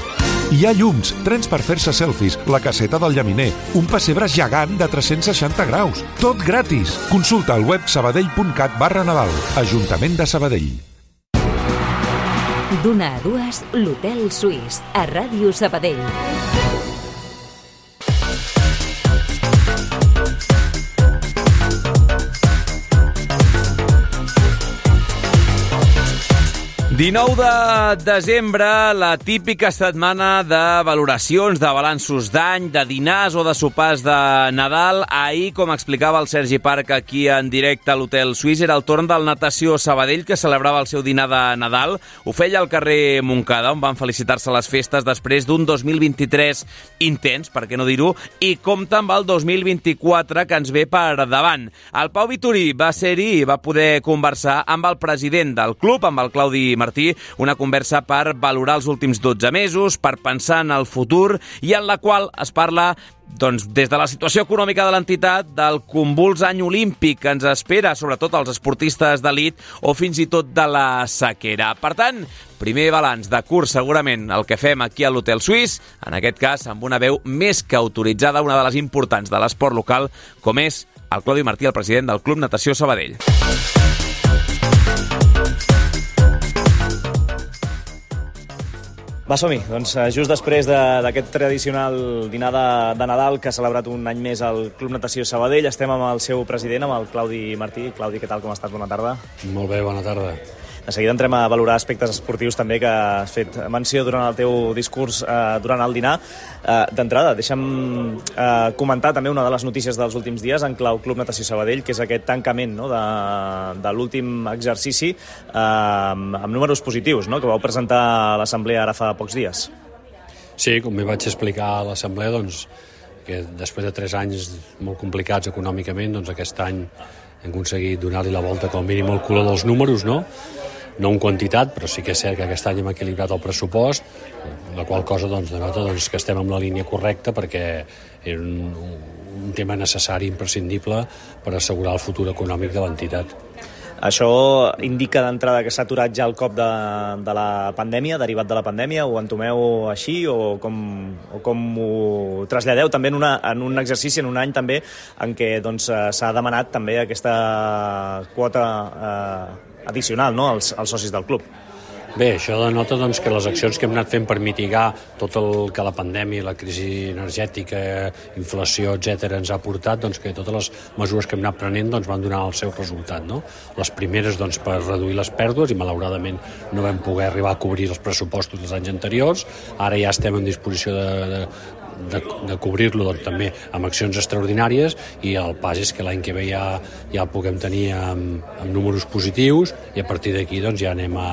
Hi ha llums, trens per fer-se selfies, la caseta del llaminer, un pessebre gegant de tres-cents seixanta graus. Tot gratis. Consulta al web sabadell punt cat barra Nadal. Ajuntament de Sabadell. D'una a dues, l'Hotel Suís, a Ràdio Sabadell. dinou de desembre, la típica setmana de valoracions, de balanços d'any, de dinars o de sopars de Nadal. Ahir, com explicava el Sergi Parc aquí en directe a l'Hotel Suís, era el torn del Natació Sabadell, que celebrava el seu dinar de Nadal. Ho feia al carrer Montcada, on van felicitar-se les festes després d'un dos mil vint-i-tres intens, per què no dir-ho, i compta amb el dos mil vint-i-quatre que ens ve per davant. El Pau Vitorí va ser-hi i va poder conversar amb el president del club, amb el Claudi Martí, una conversa per valorar els últims dotze mesos, per pensar en el futur i en la qual es parla doncs, des de la situació econòmica de l'entitat, del convuls any olímpic que ens espera, sobretot als esportistes d'elit, o fins i tot de la sequera. Per tant, primer balanç de curs, segurament, el que fem aquí a l'Hotel Suís, en aquest cas amb una veu més que autoritzada, una de les importants de l'esport local, com és el Claudi Martí, el president del Club Natació Sabadell. Va, som-hi. Doncs just després d'aquest de, tradicional dinar de, de Nadal que ha celebrat un any més el Club Natació Sabadell, estem amb el seu president, amb el Claudi Martí. Claudi, què tal, com estàs? Bona tarda. Molt bé, bona tarda. De seguida entrem a valorar aspectes esportius també que has fet menció durant el teu discurs eh, durant el dinar. Eh, D'entrada, deixa'm eh, comentar també una de les notícies dels últims dies en clau Club Natació Sabadell, que és aquest tancament, no?, de, de l'últim exercici eh, amb, amb números positius, no?, que vau presentar a l'assemblea ara fa pocs dies. Sí, com m'hi vaig explicar a l'assemblea, doncs, que després de tres anys molt complicats econòmicament, doncs aquest any hem aconseguit donar-li la volta com a mínim al color dels números, no? No en quantitat, però sí que és cert que aquest any hem equilibrat el pressupost, la qual cosa doncs, denota doncs, que estem en la línia correcta perquè era un, un tema necessari, imprescindible, per assegurar el futur econòmic de l'entitat. Això indica d'entrada que s'ha aturat ja el cop de, de la pandèmia, derivat de la pandèmia, ho entomeu així o com, o com ho traslladeu també en, una, en un exercici, en un any també, en què doncs, s'ha demanat també aquesta quota eh, addicional, no?, als, als socis del club. Bé, això denota doncs, que les accions que hem anat fent per mitigar tot el que la pandèmia, la crisi energètica, inflació, etcètera, ens ha portat, doncs, que totes les mesures que hem anat prenent doncs, van donar el seu resultat, no? Les primeres doncs, per reduir les pèrdues, i malauradament no vam poder arribar a cobrir els pressupostos dels anys anteriors. Ara ja estem en disposició de, de de, de cobrir-lo doncs, també amb accions extraordinàries, i el pas és que l'any que ve ja, ja el puguem tenir amb, amb números positius, i a partir d'aquí doncs, ja anem a,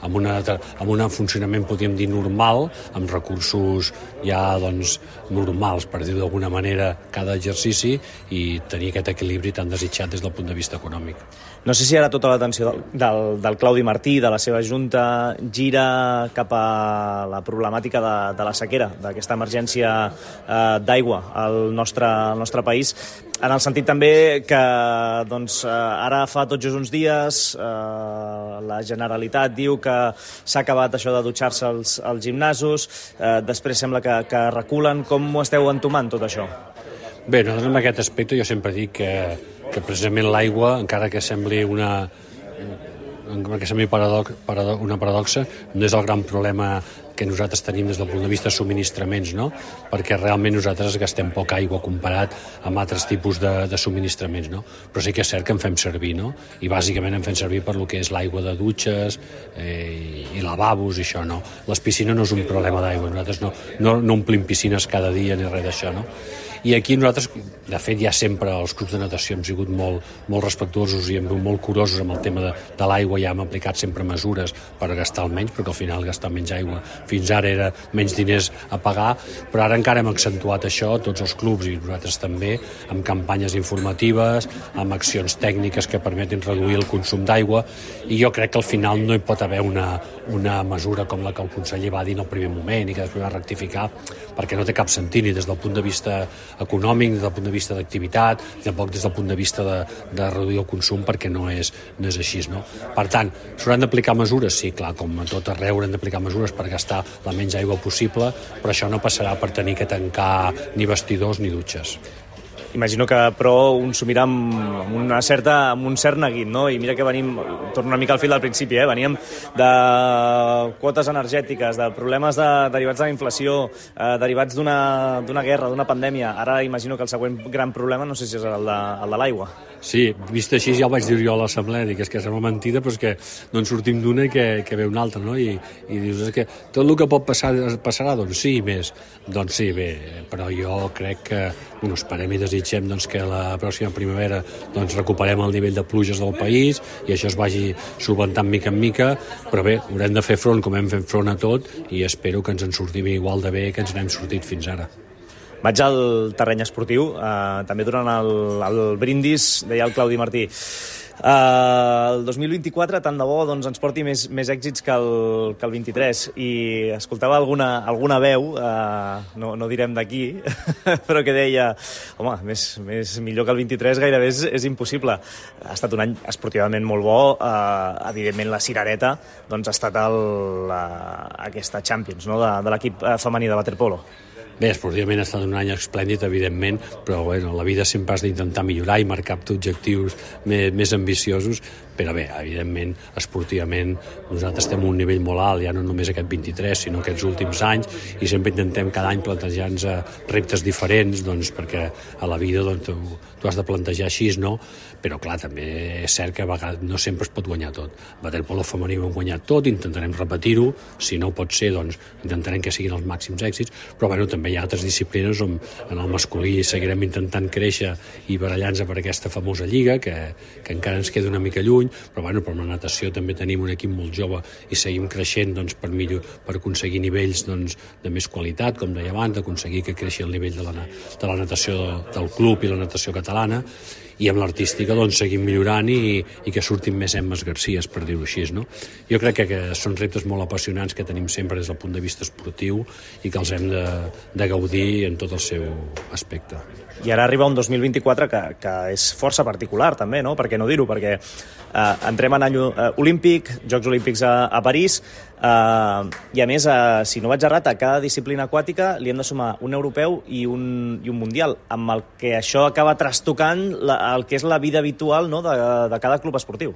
amb, una, amb un funcionament, podríem dir, normal, amb recursos ja doncs, normals, per dir-ho d'alguna manera, cada exercici, i tenir aquest equilibri tan desitjat des del punt de vista econòmic. No sé si ara tota l'atenció del, del, del Claudi Martí, de la seva junta, gira cap a la problemàtica de, de la sequera, d'aquesta emergència eh, d'aigua al nostre, al nostre país, en el sentit també que doncs, ara fa tot just uns dies eh, la Generalitat diu que s'ha acabat això de dutxar-se als, als gimnasos, eh, després sembla que, que reculen. Com ho esteu entomant tot això? Bé, nosaltres en aquest aspecte jo sempre dic que, que precisament l'aigua, encara que sembli una, que sembli paradox, paradox, una paradoxa, no és el gran problema que nosaltres tenim des del punt de vista de subministraments, no? Perquè realment nosaltres gastem poca aigua comparat amb altres tipus de, de subministraments, no? Però sí que és cert que en fem servir, no? I bàsicament en fem servir per lo que és l'aigua de dutxes eh, i lavabos i això, no? Les piscines no és un problema d'aigua, nosaltres no, no, no omplim piscines cada dia ni res d'això, no? I aquí nosaltres, de fet, ja sempre els clubs de natació hem sigut molt, molt respectuosos i hem molt curosos amb el tema de, de l'aigua, ja hem aplicat sempre mesures per gastar el menys, perquè al final gastar menys aigua fins ara era menys diners a pagar, però ara encara hem accentuat això, tots els clubs i nosaltres també, amb campanyes informatives, amb accions tècniques que permetin reduir el consum d'aigua, i jo crec que al final no hi pot haver una, una mesura com la que el conseller va dir en el primer moment i que després va rectificar, perquè no té cap sentit ni des del punt de vista econòmic, des del punt de vista d'activitat, ni tampoc des del punt de vista de, de reduir el consum, perquè no és, no és així, no? Per tant, s'hauran d'aplicar mesures? Sí, clar, com a tot arreu haurem d'aplicar mesures per gastar la menys aigua possible, però això no passarà per tenir que tancar ni vestidors ni dutxes. Imagino que, però, un s'ho mira amb, amb, una certa, amb un cert neguit, no? I mira que venim, torno una mica al fil del principi, eh? Veníem de quotes energètiques, de problemes de, derivats de la inflació, eh, derivats d'una d'una guerra, d'una pandèmia. Ara imagino que el següent gran problema, no sé si és el de, el de l'aigua. Sí, vist així ja ho vaig dir jo a l'assemblea, dic, és que sembla mentida, però és que no en sortim d'una i que, que ve una altra, no? I, i dius, és que tot el que pot passar passarà, doncs sí, més. Doncs sí, bé, però jo crec que, bueno, esperem i desitgem doncs, que la pròxima primavera doncs, recuperem el nivell de pluges del país i això es vagi solventant mica en mica, però bé, haurem de fer front com hem fet front a tot i espero que ens en sortim igual de bé que ens n'hem sortit fins ara. Vaig al terreny esportiu, eh, també durant el, el brindis, deia el Claudi Martí, eh, el dos mil vint-i-quatre tant de bo doncs, ens porti més, més èxits que el, que el vint-i-tres, i escoltava alguna, alguna veu, eh, no, no direm d'aquí, però que deia, home, més, més millor que el vint-i-tres gairebé és, és impossible. Ha estat un any esportivament molt bo, eh, evidentment la cirereta doncs, ha estat el, la, aquesta Champions, no? de, de l'equip femení de waterpolo. Bé, esportivament ha estat un any esplèndid, evidentment, però bueno, la vida sempre has d'intentar millorar i marcar objectius més, més ambiciosos, però bé, evidentment, esportivament nosaltres estem a un nivell molt alt, ja no només aquest vint-i-tres, sinó aquests últims anys, i sempre intentem cada any plantejar-nos reptes diferents, doncs, perquè a la vida doncs, tu, tu has de plantejar així, no? Però clar, també és cert que a vegades no sempre es pot guanyar tot. Waterpolo femení ho hem guanyat tot, intentarem repetir-ho, si no pot ser, doncs intentarem que siguin els màxims èxits, però bueno, també hi ha altres disciplines on en el masculí seguirem intentant créixer i barallar-nos per aquesta famosa lliga, que, que encara ens queda una mica lluny, però bueno, per la natació també tenim un equip molt jove i seguim creixent doncs, per, millor, per aconseguir nivells doncs, de més qualitat, com deia abans, d'aconseguir que creixi el nivell de la, de la natació del club i la natació catalana, i amb l'artística doncs, seguim millorant i, i que surtin més Emmes Garcies, per dir-ho així, no? Jo crec que, que són reptes molt apassionants que tenim sempre des del punt de vista esportiu i que els hem de, de gaudir en tot el seu aspecte. I ara arriba un dos mil vint-i-quatre que, que és força particular també, no? Per què no dir-ho? Perquè eh, entrem en any eh, olímpic, Jocs Olímpics a, a París, eh, i a més, eh, si no vaig errat, a cada disciplina aquàtica li hem de sumar un europeu i un, i un mundial, amb el que això acaba trastocant la, el que és la vida habitual, no? de, de cada club esportiu.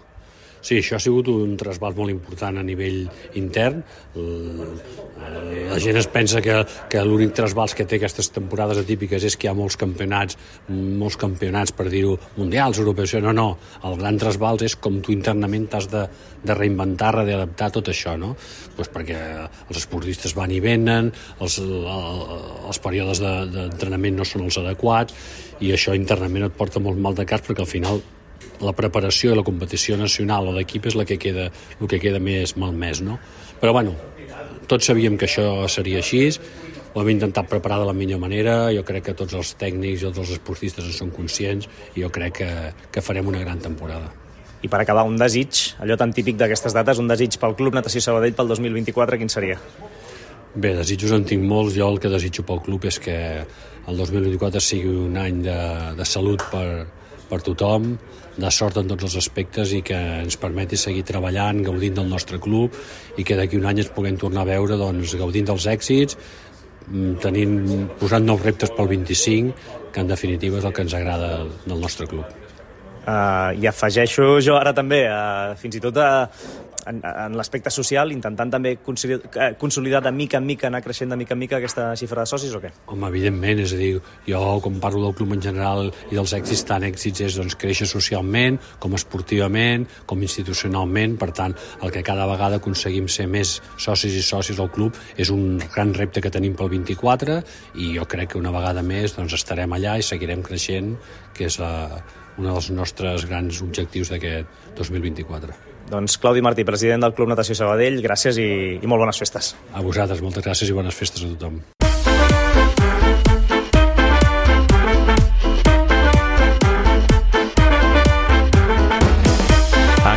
Sí, això ha sigut un trasbals molt important a nivell intern. La gent es pensa que, que l'únic trasbals que té aquestes temporades atípiques és que hi ha molts campionats, molts campionats, per dir-ho, mundials, europeus. No, no, el gran trasbals és com tu internament t'has de, de reinventar, readaptar tot això, no? Pues perquè els esportistes van i venen, els, els períodes de, d'entrenament no són els adequats, i això internament et porta molt mal de cas, perquè al final la preparació i la competició nacional o d'equip és la que queda, el que queda més malmès, no? Però bueno, tots sabíem que això seria així, ho hem intentat preparar de la millor manera, jo crec que tots els tècnics i tots els esportistes en són conscients, i jo crec que, que farem una gran temporada. I per acabar, un desig, allò tan típic d'aquestes dates, un desig pel Club Natació Sabadell pel dos mil vint-i-quatre, quin seria? Bé, desitjos en tinc molts. Jo el que desitjo pel club és que el dos mil vint-i-quatre sigui un any de, de salut per, per tothom, de sort en tots els aspectes, i que ens permeti seguir treballant, gaudint del nostre club, i que d'aquí un any ens puguem tornar a veure doncs, gaudint dels èxits, tenint, posant nous reptes pel vint-i-cinc, que en definitiva és el que ens agrada del nostre club. Uh, I afegeixo jo ara també, uh, fins i tot uh, en, en l'aspecte social, intentant també consolidar, consolidar de mica en mica, anar creixent de mica en mica aquesta xifra de socis, o què? Home, evidentment, és a dir, jo quan parlo del club en general i dels èxits, tant èxits és doncs, créixer socialment, com esportivament, com institucionalment. Per tant, el que cada vegada aconseguim ser més socis i socis al club és un gran repte que tenim pel vint-i-quatre, i jo crec que una vegada més doncs, estarem allà i seguirem creixent, que és la, un dels nostres grans objectius d'aquest dos mil vint-i-quatre. Doncs Claudi Martí, president del Club Natació Sabadell, gràcies i, i molt bones festes. A vosaltres, moltes gràcies i bones festes a tothom.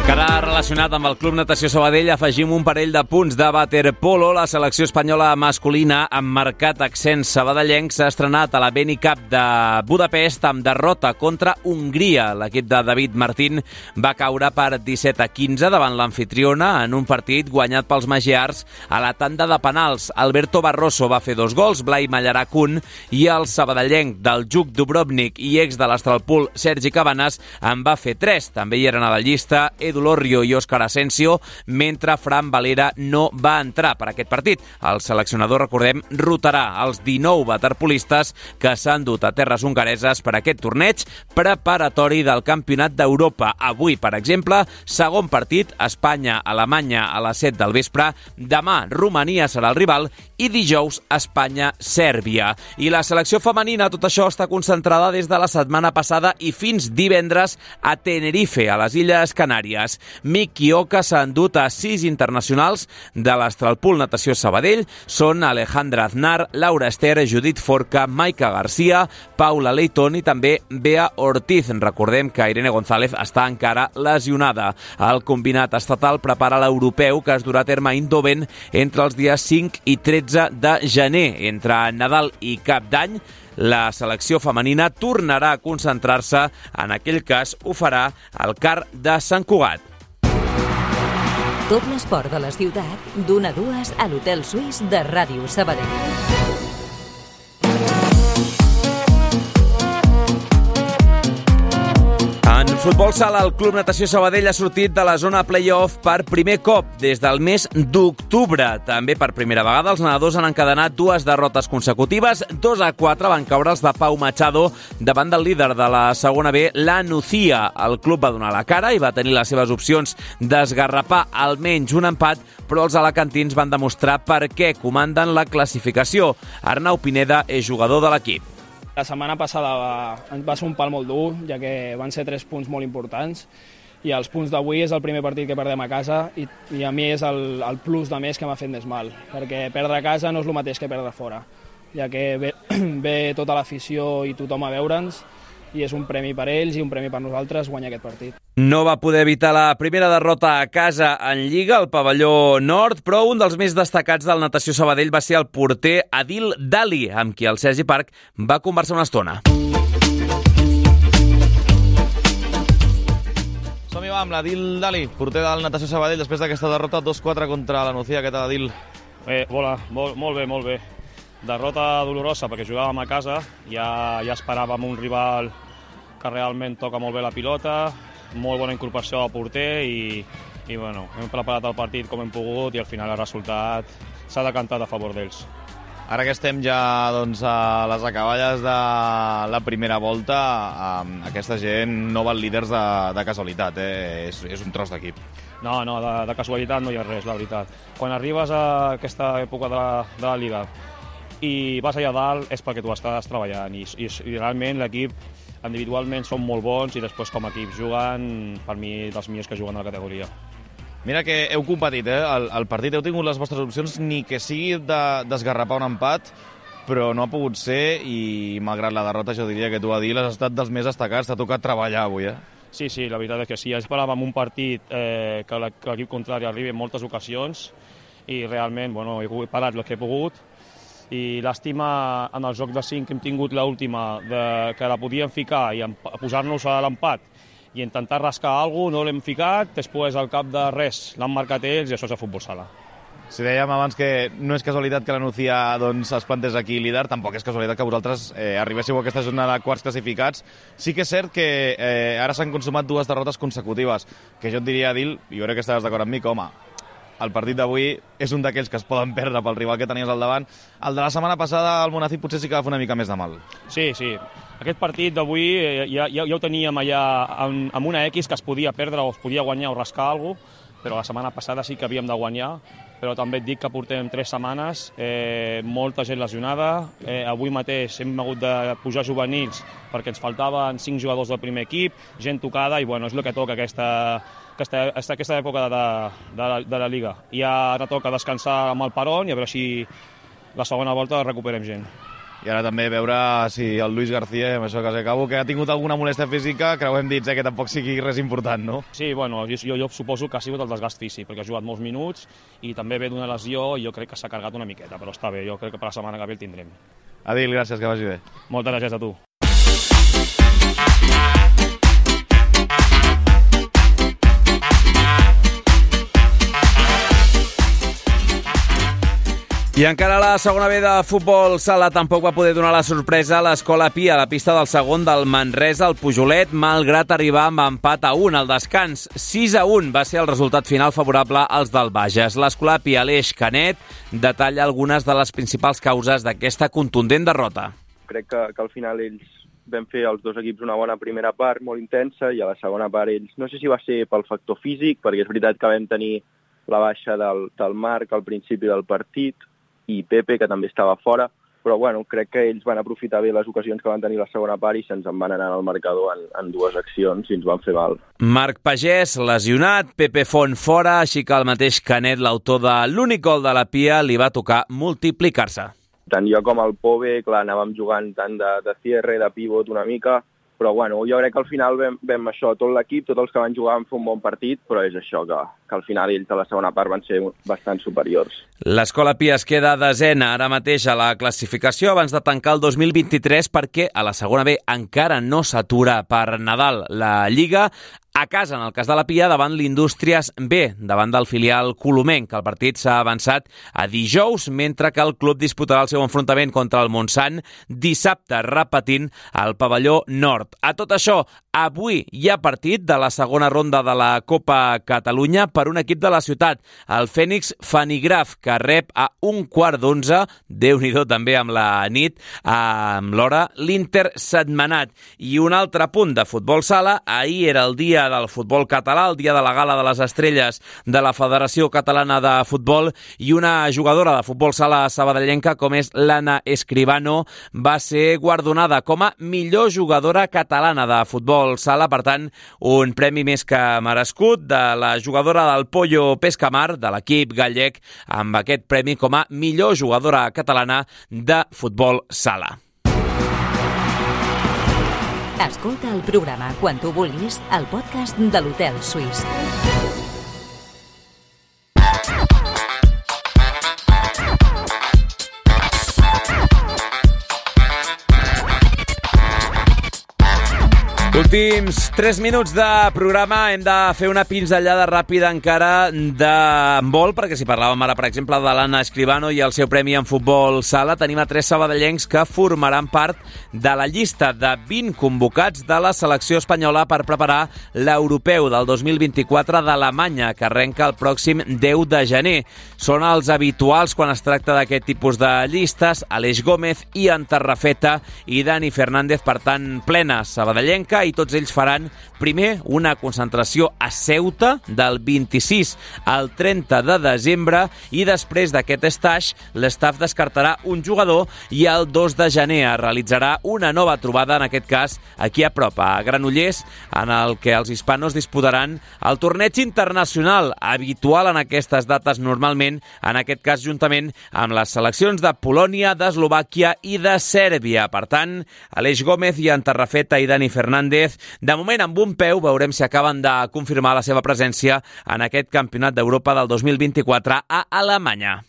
Encara relacionat amb el Club Natació Sabadell, afegim un parell de punts de waterpolo. La selecció espanyola masculina, amb marcat accent sabadellenc, s'ha estrenat a la Beni Cup de Budapest amb derrota contra Hongria. L'equip de David Martín va caure per disset a quinze davant l'amfitriona en un partit guanyat pels magiars a la tanda de penals. Alberto Barroso va fer dos gols, Blai Mallarach un, i el sabadellenc del Juk Dubrovnik i ex de l'Astralpool, Sergi Cabanes, en va fer tres. També hi eren a la llista Edu Lorrio i Òscar Asensio, mentre Fran Valera no va entrar per aquest partit. El seleccionador, recordem, rotarà els dinou waterpolistes que s'han dut a terres hongareses per aquest torneig preparatori del Campionat d'Europa. Avui, per exemple, segon partit, Espanya-Alemanya a les set del vespre, demà Romania serà el rival i dijous Espanya-Sèrbia. I la selecció femenina, tot això està concentrada des de la setmana passada i fins divendres a Tenerife, a les Illes Canàries. Miki Oka s'ha endut a sis internacionals de l'Astralpool Natació Sabadell. Són Alejandra Aznar, Laura Ester, Judit Forca, Maika Garcia, Paula Leighton i també Bea Ortiz. Recordem que Irene González està encara lesionada. El combinat estatal prepara l'europeu que es durà a terme a Eindhoven entre els dies cinc i tretze de gener. Entre Nadal i Cap d'Any, la selecció femenina tornarà a concentrar-se, en aquell cas ho farà al C A R de Sant Cugat. Tot l'esport de la ciutat, d'una a dues a l'Hotel Suís de Ràdio Sabadell. En futbol sala, el Club Natació Sabadell ha sortit de la zona play-off per primer cop des del mes d'octubre. També per primera vegada els nedadors han encadenat dues derrotes consecutives. dos a quatre van caure els de Pau Machado davant del líder de la segona B, la Nucía. El club va donar la cara i va tenir les seves opcions d'esgarrapar almenys un empat, però els alacantins van demostrar per què comanden la classificació. Arnau Pineda és jugador de l'equip. La setmana passada va, va ser un pal molt dur, ja que van ser tres punts molt importants, i els punts d'avui és el primer partit que perdem a casa, i, i a mi és el, el plus de més que m'ha fet més mal, perquè perdre a casa no és el mateix que perdre fora, ja que ve, ve tota l'afició i tothom a veure'ns, i és un premi per ells i un premi per nosaltres guanyar aquest partit. No va poder evitar la primera derrota a casa en Lliga, al pavelló nord, però un dels més destacats del Natació Sabadell va ser el porter Adil Dali, amb qui el Sergi Parc va conversar una estona. Som-hi, va, amb l'Adil Dali, porter del Natació Sabadell, després d'aquesta derrota dos quatre contra la Nucía. Què tal, Adil? Eh, hola, molt, molt bé, molt bé. Derrota dolorosa perquè jugàvem a casa, ja, ja esperàvem un rival que realment toca molt bé la pilota, molt bona incorporació al porter i, i bueno, hem preparat el partit com hem pogut i al final el resultat s'ha decantat a favor d'ells. Ara que estem ja doncs, a les acaballes de la primera volta, eh, aquesta gent no van líders de, de casualitat, eh? és, és un tros d'equip. No, no, de, de casualitat no hi ha res, la veritat. Quan arribes a aquesta època de la, de la Lliga i vas allà dalt és perquè tu estàs treballant i, i, i realment l'equip individualment són molt bons i després com a equip juguen, per mi, dels millors que juguen a la categoria. Mira que heu competit, eh? El, el partit heu tingut les vostres opcions, ni que sigui de, d'esgarrapar un empat, però no ha pogut ser i, malgrat la derrota, jo diria que tu, Adil, has estat dels més destacats, t'ha tocat treballar avui, eh? Sí, sí, la veritat és que sí. Esperàvem un partit eh, que l'equip contrari arribi en moltes ocasions i realment, bueno, he parat el que he pogut i l'àstima en el joc de cinc que hem tingut l'última, que la podíem ficar i posar-nos a l'empat i intentar rascar alguna cosa, no l'hem ficat, després al cap de res l'han marcat ells i això és el futbol sala. Si dèiem abans que no és casualitat que la Nucía doncs, es plantés aquí líder, tampoc és casualitat que vosaltres eh, arribéssiu a aquesta jornada de quarts classificats. Sí que és cert que eh, ara s'han consumat dues derrotes consecutives, que jo et diria, Adil, i jo crec que estaràs d'acord amb mi, que home, el partit d'avui és un d'aquells que es poden perdre pel rival que tenies al davant. El de la setmana passada, el Monacid potser sí que va fer una mica més de mal. Sí, sí. Aquest partit d'avui eh, ja, ja, ja ho teníem allà amb, amb una X que es podia perdre o es podia guanyar o rascar alguna cosa, però la setmana passada sí que havíem de guanyar, però també et dic que portem tres setmanes, eh, molta gent lesionada, eh, avui mateix hem hagut de pujar juvenils perquè ens faltaven cinc jugadors del primer equip, gent tocada i bueno, és el que toca aquesta, aquesta, aquesta època de, de, la, de la Lliga. I ara toca descansar amb el Peron i a veure si la segona volta recuperem gent. I ara també veure si el Luis García, amb això que acabo, que ha tingut alguna molèstia física, creuem dits, eh, que tampoc sigui res important, no? Sí, bueno, jo, jo suposo que ha sigut el desgast físic, perquè ha jugat molts minuts i també ve d'una lesió i jo crec que s'ha carregat una miqueta, però està bé, jo crec que per la setmana que ve el tindrem. Adil, gràcies, que vagi bé. Moltes gràcies a tu. I encara la segona B de futbol sala tampoc va poder donar la sorpresa a l'Escola Pia a la pista del segon del Manresa al Pujolet, malgrat arribar amb empat a un al descans. sis a un va ser el resultat final favorable als del Bages. L'Escola Pia Aleix Canet detalla algunes de les principals causes d'aquesta contundent derrota. Crec que, que al final ells vam fer els dos equips una bona primera part, molt intensa, i a la segona part ells, no sé si va ser pel factor físic, perquè és veritat que vam tenir la baixa del, del Marc al principi del partit, i Pepe, que també estava fora, però bueno, crec que ells van aprofitar bé les ocasions que van tenir la segona part i se'ns en van anar al marcador en, en dues accions i ens van fer mal. Marc Pagès, lesionat, Pepe Font fora, així que el mateix Canet, l'autor de l'únic gol de la Pia, li va tocar multiplicar-se. Tant jo com el Pove, clar, anàvem jugant tant de, de cierre, de pivot una mica, però bueno, jo crec que al final vam, vam això, tot l'equip, tots els que van jugar van fer un bon partit, però és això, que, que al final ells a la segona part van ser bastant superiors. L'Escola Pia es queda desena ara mateix a la classificació abans de tancar el dos mil vint-i-tres perquè a la segona B encara no s'atura per Nadal la Lliga. A casa, en el cas de la Pia, davant l'Indústries B, davant del filial colomenc. El partit s'ha avançat a dijous, mentre que el club disputarà el seu enfrontament contra el Montsant dissabte, repetint al pavelló nord. A tot això, avui hi ha partit de la segona ronda de la Copa Catalunya per un equip de la ciutat, el Fènix Fanigraf, que rep a un quart d'onze, Déu-n'hi-do també amb la nit, amb l'hora, l'Inter Setmanat. I un altre punt de futbol sala, ahir era el dia del futbol català, el dia de la gala de les estrelles de la Federació Catalana de Futbol, i una jugadora de futbol sala sabadellenca com és l'Anna Escribano va ser guardonada com a millor jugadora catalana de futbol sala, per tant un premi més que merescut de la jugadora del Pollo Pescamar, de l'equip gallec, amb aquest premi com a millor jugadora catalana de futbol sala. Escolta el programa quan tu vulguis al podcast de l'Hotel Suís. Últims tres minuts de programa. Hem de fer una pinzellada ràpida encara d'handbol, perquè si parlàvem ara, per exemple, de l'Anna Escribano i el seu premi en futbol sala, tenim a tres sabadellencs que formaran part de la llista de vint convocats de la selecció espanyola per preparar l'europeu del dos mil vint-i-quatre d'Alemanya, que arrenca el pròxim deu de gener. Són els habituals quan es tracta d'aquest tipus de llistes: Aleix Gómez, Ian Tarrafeta i Dani Fernández, per tant, plena sabadellenca, i tots ells faran primer una concentració a Ceuta del vint-i-sis al trenta de desembre, i després d'aquest stage l'estaf descartarà un jugador i el dos de gener es realitzarà una nova trobada, en aquest cas aquí a prop, a Granollers, en el que els hispanos disputaran el torneig internacional habitual en aquestes dates normalment, en aquest cas juntament amb les seleccions de Polònia, d'Eslovàquia i de Sèrbia. Per tant, Aleix Gómez, Ian Tarrafeta i Dani Fernández, de moment amb un peu, veurem si acaben de confirmar la seva presència en aquest Campionat d'Europa del dos mil vint-i-quatre a Alemanya.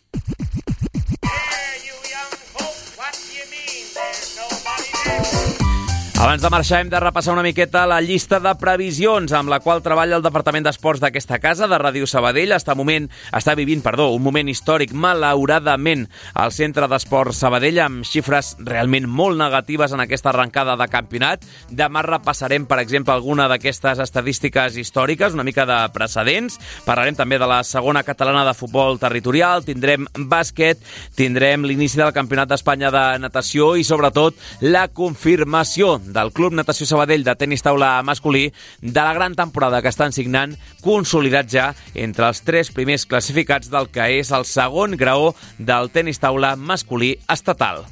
Abans de marxar hem de repassar una miqueta la llista de previsions amb la qual treballa el Departament d'Esports d'aquesta casa, de Ràdio Sabadell. Està, moment, està vivint perdó, un moment històric, malauradament, al Centre d'Esports Sabadell, amb xifres realment molt negatives en aquesta arrencada de campionat. Demà repassarem, per exemple, alguna d'aquestes estadístiques històriques, una mica de precedents. Parlarem també de la segona catalana de futbol territorial, tindrem bàsquet, tindrem l'inici del Campionat d'Espanya de natació i, sobretot, la confirmació del Club Natació Sabadell de tenis taula masculí de la gran temporada que estan signant, consolidat ja entre els tres primers classificats del que és el segon graó del tenis taula masculí estatal.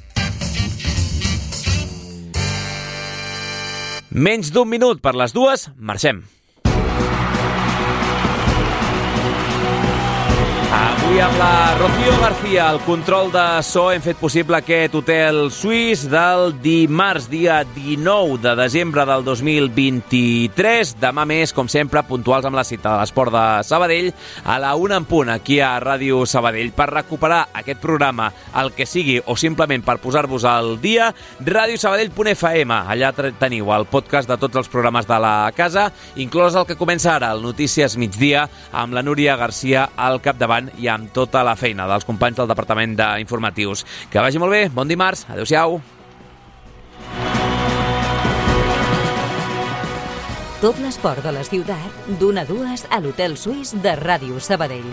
Menys d'un minut per les dues, marxem. Avui amb la Rocío García, el control de so, hem fet possible aquest hotel suís del dimarts, dia dinou de desembre del dos mil vint-i-tres. Demà més, com sempre, puntuals amb la cita de l'esport de Sabadell, a la una en punt, aquí a Ràdio Sabadell. Per recuperar aquest programa, el que sigui, o simplement per posar-vos al dia, radiosabadell punt f m. Allà teniu el podcast de tots els programes de la casa, inclòs el que comença ara, el Notícies Migdia, amb la Núria Garcia al capdavant i amb tota la feina dels companys del Departament d'Informatius. Que vagi molt bé, bon dimarts, adeu-siau. Tot l'esport de la ciutat, d'una a dues a l'Hotel Suís de Ràdio Sabadell.